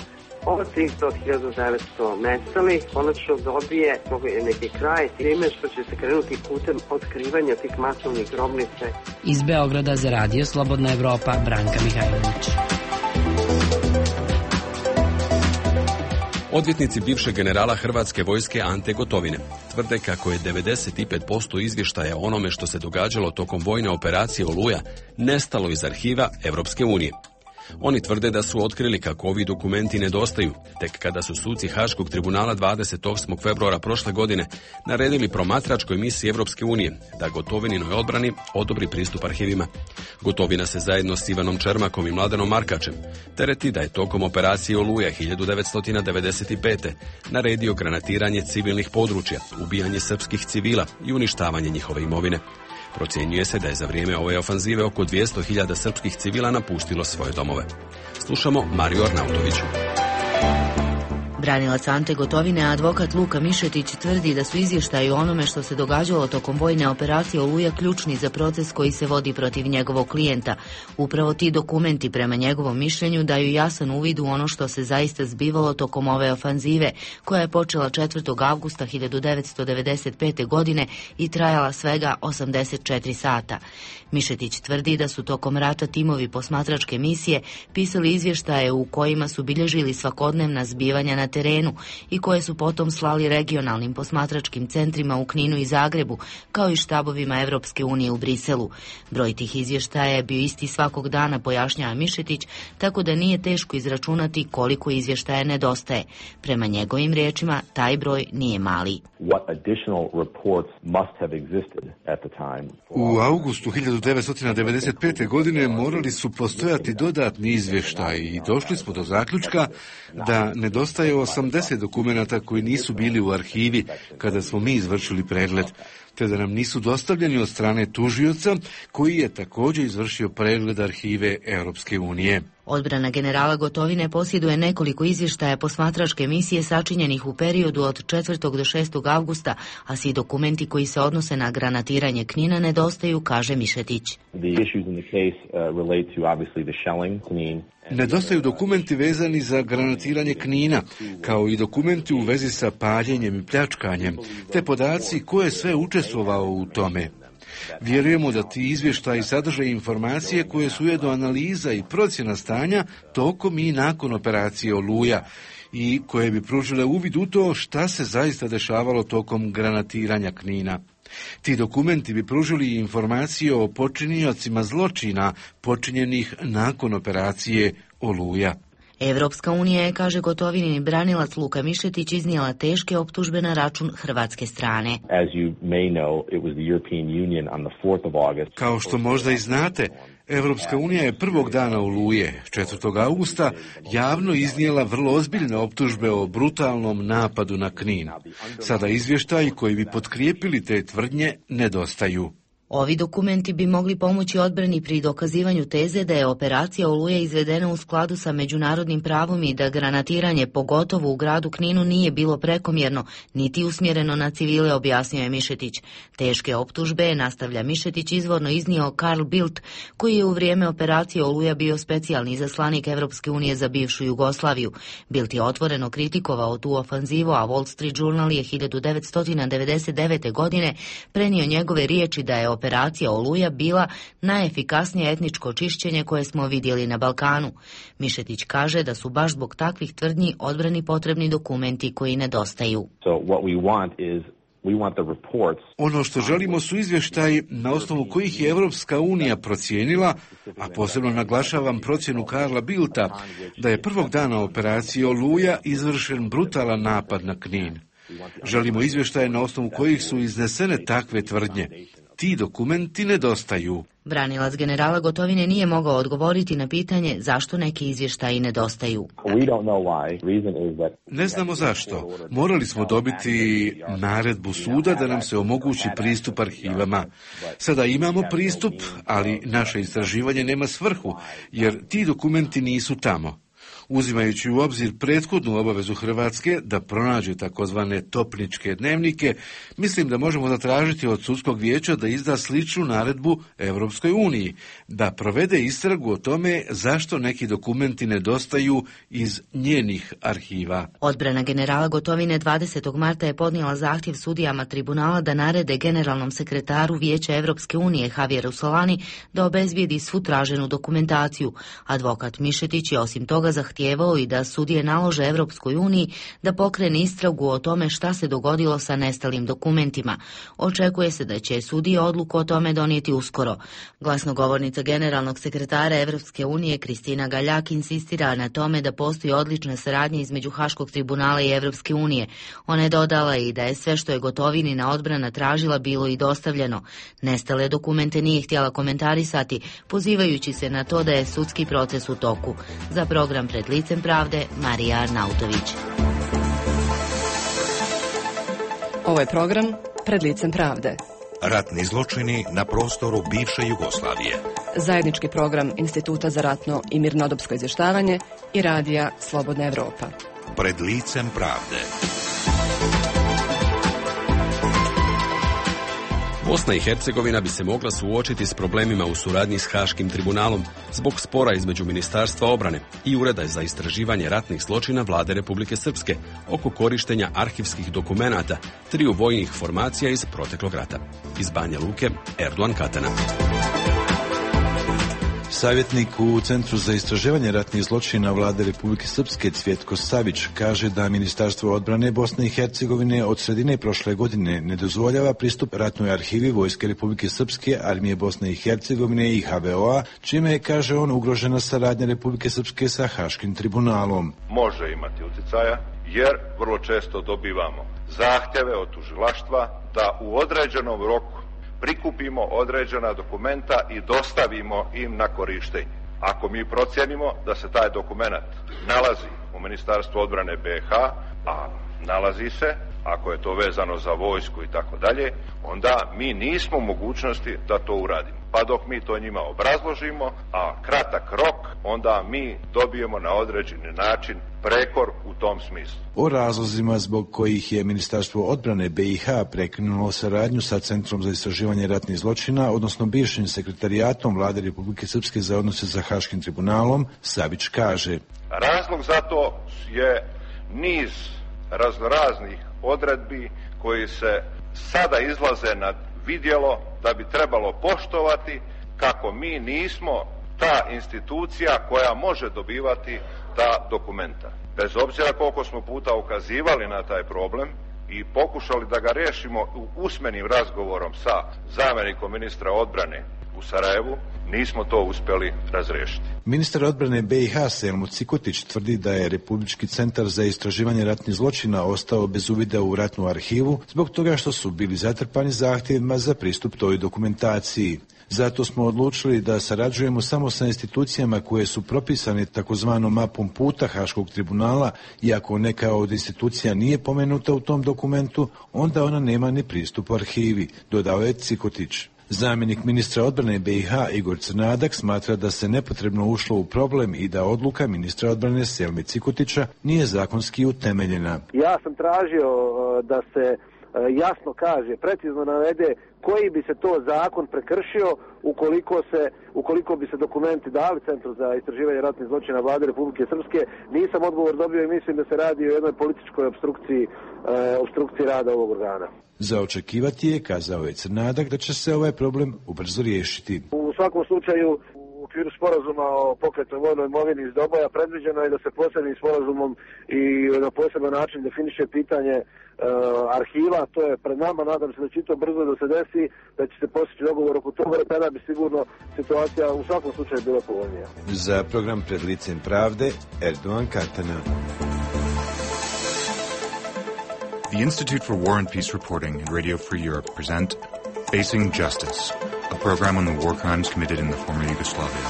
ovo 300.900 nestali konačno dobije neki kraj time što će se krenuti putem otkrivanja tih masovnih grobnice. Iz Beograda za Radio Slobodna Evropa, Branka Mihajlović. Odvjetnici bivšeg generala Hrvatske vojske Ante Gotovine tvrde kako je 95% izvještaja o onome što se događalo tokom vojne operacije Oluja nestalo iz arhiva Europske unije. Oni tvrde da su otkrili kako ovi dokumenti nedostaju, tek kada su suci Haškog tribunala 28. februara prošle godine naredili promatračkoj misiji Evropske unije da Gotovininoj odbrani odobri pristup arhivima. Gotovina se zajedno s Ivanom Čermakom i Mladenom Markačem tereti da je tokom operacije Oluja 1995. naredio granatiranje civilnih područja, ubijanje srpskih civila i uništavanje njihove imovine. Procjenjuje se da je za vrijeme ove ofanzive oko 200.000 srpskih civila napustilo svoje domove. Slušamo Mariju Arnautoviću. Branilac Ante Gotovine, advokat Luka Mišetić, tvrdi da su izvještaji o onome što se događalo tokom vojne operacije Oluja ključni za proces koji se vodi protiv njegovog klijenta. Upravo ti dokumenti, prema njegovom mišljenju, daju jasan uvid u ono što se zaista zbivalo tokom ove ofanzive, koja je počela 4. avgusta 1995. godine i trajala svega 84 sata. Mišetić tvrdi da su tokom rata timovi posmatračke misije pisali izvještaje u kojima su bilježili svakodnevna zbivanja na terenu i koje su potom slali regionalnim posmatračkim centrima u Kninu i Zagrebu, kao i štabovima Evropske unije u Briselu. Broj tih izvještaja je bio isti svakog dana, pojašnjava Mišetić, tako da nije teško izračunati koliko izvještaja nedostaje. Prema njegovim riječima, taj broj nije mali. U augustu 1995. godine morali su postojati dodatni izvještaji i došli smo do zaključka da nedostaje 80 dokumenata koji nisu bili u arhivi kada smo mi izvršili pregled, te da nam nisu dostavljeni od strane tužioca koji je također izvršio pregled arhive Europske unije. Odbrana generala Gotovine posjeduje nekoliko izvještaja posmatračke misije sačinjenih u periodu od 4. do 6. avgusta, a svi dokumenti koji se odnose na granatiranje Knina nedostaju, kaže Mišetić. Nedostaju dokumenti vezani za granatiranje Knina, kao i dokumenti u vezi sa paljenjem i pljačkanjem, te podaci ko je sve učestvovao u tome. Vjerujemo da ti izvještaji sadrže informacije koje su ujedno analiza i procjena stanja tokom i nakon operacije Oluja i koje bi pružile uvid u to šta se zaista dešavalo tokom granatiranja Knina. Ti dokumenti bi pružili informacije o počiniocima zločina počinjenih nakon operacije Oluja. Evropska unija je, kaže Gotovinin branilac Luka Mišetić, iznijela teške optužbe na račun hrvatske strane. Kao što možda i znate, Evropska unija je prvog dana Oluje, 4. augusta, javno iznijela vrlo ozbiljne optužbe o brutalnom napadu na Knin. Sada izvještaji koji bi potkrijepili te tvrdnje nedostaju. Ovi dokumenti bi mogli pomoći odbrani pri dokazivanju teze da je operacija Oluja izvedena u skladu sa međunarodnim pravom i da granatiranje, pogotovo u gradu Kninu, nije bilo prekomjerno, niti usmjereno na civile, objasnio je Mišetić. Teške optužbe, nastavlja Mišetić, izvorno iznio Carl Bildt, koji je u vrijeme operacije Oluja bio specijalni izaslanik Evropske unije za bivšu Jugoslaviju. Bildt je otvoreno kritikovao tu ofanzivu, a Wall Street Journal je 1999. godine prenio njegove riječi da je operacija Oluja bila najefikasnije etničko čišćenje koje smo vidjeli na Balkanu. Mišetić kaže da su baš zbog takvih tvrdnji odbrani potrebni dokumenti koji nedostaju. Ono što želimo su izvještaji na osnovu kojih je Evropska unija procijenila, a posebno naglašavam procjenu Karla Bildta, da je prvog dana operacije Oluja izvršen brutalan napad na Knin. Želimo izvještaje na osnovu kojih su iznesene takve tvrdnje. Ti dokumenti nedostaju. Branilac generala Gotovine nije mogao odgovoriti na pitanje zašto neki izvještaji nedostaju. Ne znamo zašto. Morali smo dobiti naredbu suda da nam se omogući pristup arhivama. Sada imamo pristup, ali naše istraživanje nema svrhu, jer ti dokumenti nisu tamo. Uzimajući u obzir prethodnu obavezu Hrvatske da pronađe takozvane topničke dnevnike, mislim da možemo zatražiti od sudskog vijeća da izda sličnu naredbu Europskoj uniji, da provede istragu o tome zašto neki dokumenti nedostaju iz njenih arhiva. Odbrana generala Gotovine 20. marta je podnijela zahtjev sudijama tribunala da narede generalnom sekretaru Vijeća Evropske unije Javieru Solani da obezbijedi svu traženu dokumentaciju. Advokat Mišetić je osim toga zahtjevao i da sudije nalože Evropskoj uniji da pokrene istragu o tome šta se dogodilo sa nestalim dokumentima. Očekuje se da će sudije odluku o tome donijeti uskoro. Glasnogovornica generalnog sekretara Evropske unije Kristina Galjak insistira na tome da postoji odlična saradnja između Haškog tribunala i Evropske unije. Ona je dodala i da je sve što je Gotovinina odbrana tražila bilo i dostavljeno. Nestale dokumente nije htjela komentarisati, pozivajući se na to da je sudski proces u toku. Za program Pred licem pravde, Marija Arnautović. Ovo je program Pred licem pravde. Ratni zločini na prostoru bivše Jugoslavije. Zajednički program Instituta za ratno i mirnodopsko izvještavanje i radija Slobodna Evropa. Pred licem pravde. Bosna i Hercegovina bi se mogla suočiti s problemima u suradnji s Haškim tribunalom zbog spora između Ministarstva obrane i Ureda za istraživanje ratnih zločina Vlade Republike Srpske oko korištenja arhivskih dokumenata triju vojnih formacija iz proteklog rata. Iz Banja Luke, Erdogan Katana. Savjetnik u Centru za istraživanje ratnih zločina Vlade Republike Srpske Cvjetko Savić kaže da Ministarstvo odbrane Bosne i Hercegovine od sredine prošle godine ne dozvoljava pristup ratnoj arhivi Vojske Republike Srpske, Armije Bosne i Hercegovine i HVO-a, čime je, kaže on, ugrožena saradnja Republike Srpske sa Haškim tribunalom. Može imati utjecaja jer vrlo često dobivamo zahtjeve od tužilaštva da u određenom roku prikupimo određena dokumenta i dostavimo im na korištenje. Ako mi procijenimo da se taj dokument nalazi u Ministarstvu odbrane BiH, a nalazi se, ako je to vezano za vojsku i tako dalje, onda mi nismo u mogućnosti da to uradimo. Pa dok mi to njima obrazložimo, a kratak rok, onda mi dobijemo na određeni način prekor u tom smislu. O razlozima zbog kojih je Ministarstvo odbrane BiH prekinulo saradnju sa Centrom za istraživanje ratnih zločina, odnosno bivšim sekretarijatom Vlade Republike Srpske za odnose sa Haškim tribunalom, Savić kaže: razlog za to je niz raznoraznih odredbi koji se sada izlaze na vidjelo da bi trebalo poštovati kako mi nismo ta institucija koja može dobivati ta dokumenta. Bez obzira koliko smo puta ukazivali na taj problem i pokušali da ga riješimo usmenim razgovorom sa zamjenikom ministra odbrane u Sarajevu, nismo to uspjeli razriješiti. Ministar odbrane BiH Selmo Cikotić tvrdi da je Republički centar za istraživanje ratnih zločina ostao bez uvida u ratnu arhivu zbog toga što su bili zatrpani zahtjevima za pristup toj dokumentaciji. Zato smo odlučili da sarađujemo samo sa institucijama koje su propisane takozvanom mapom puta Haškog tribunala, i ako neka od institucija nije pomenuta u tom dokumentu, onda ona nema ni pristup arhivi, dodao je Cikotić. Zamjenik ministra odbrane BiH Igor Crnadak smatra da se nepotrebno ušlo u problem i da odluka ministra odbrane Selme Cikotića nije zakonski utemeljena. Ja sam tražio da se jasno kaže, precizno navede koji bi se to zakon prekršio ukoliko bi se dokumenti dali Centru za istraživanje ratnih zločina Vlade Republike Srpske. Nisam odgovor dobio i mislim da se radi o jednoj političkoj opstrukciji rada ovog organa. Za očekivati je, kazao je Crnadak, da će se ovaj problem ubrzo riješiti. U svakom slučaju, u okviru sporazuma o pokretnoj vojnoj imovini iz Doboja predviđeno je da se posebnim sporazumom i na poseban način definiše pitanje arhiva. To je pred nama, nadam se da će to brzo da se desi, da će se postići dogovor oko toga, tada bi sigurno situacija u svakom slučaju bila povoljnija. Za program Pred licem pravde, Erdogan Katana. The Institute for War and Peace Reporting and Radio Free Europe present Facing Justice, a program on the war crimes committed in the former Yugoslavia.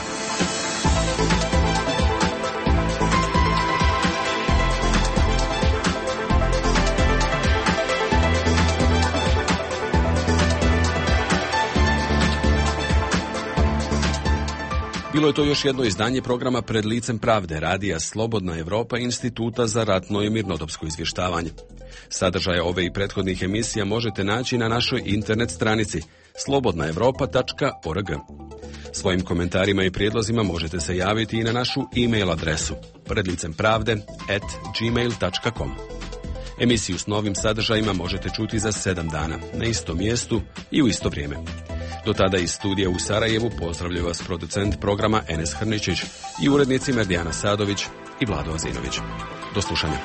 Bilo je to još jedno izdanje programa Pred licem pravde, radija Slobodna Evropa, Instituta za ratno i mirnodopsko izvještavanje. Sadržaje ove i prethodnih emisija možete naći na našoj internet stranici slobodnaevropa.org. Svojim komentarima i prijedlozima možete se javiti i na našu e-mail adresu predlicempravde@gmail.com. Emisiju s novim sadržajima možete čuti za 7 dana, na istom mjestu i u isto vrijeme. Do tada iz studija u Sarajevu pozdravljaju vas producent programa Enes Hrničić i urednici Merdijana Sadović i Vlado Azinović. Do slušanja.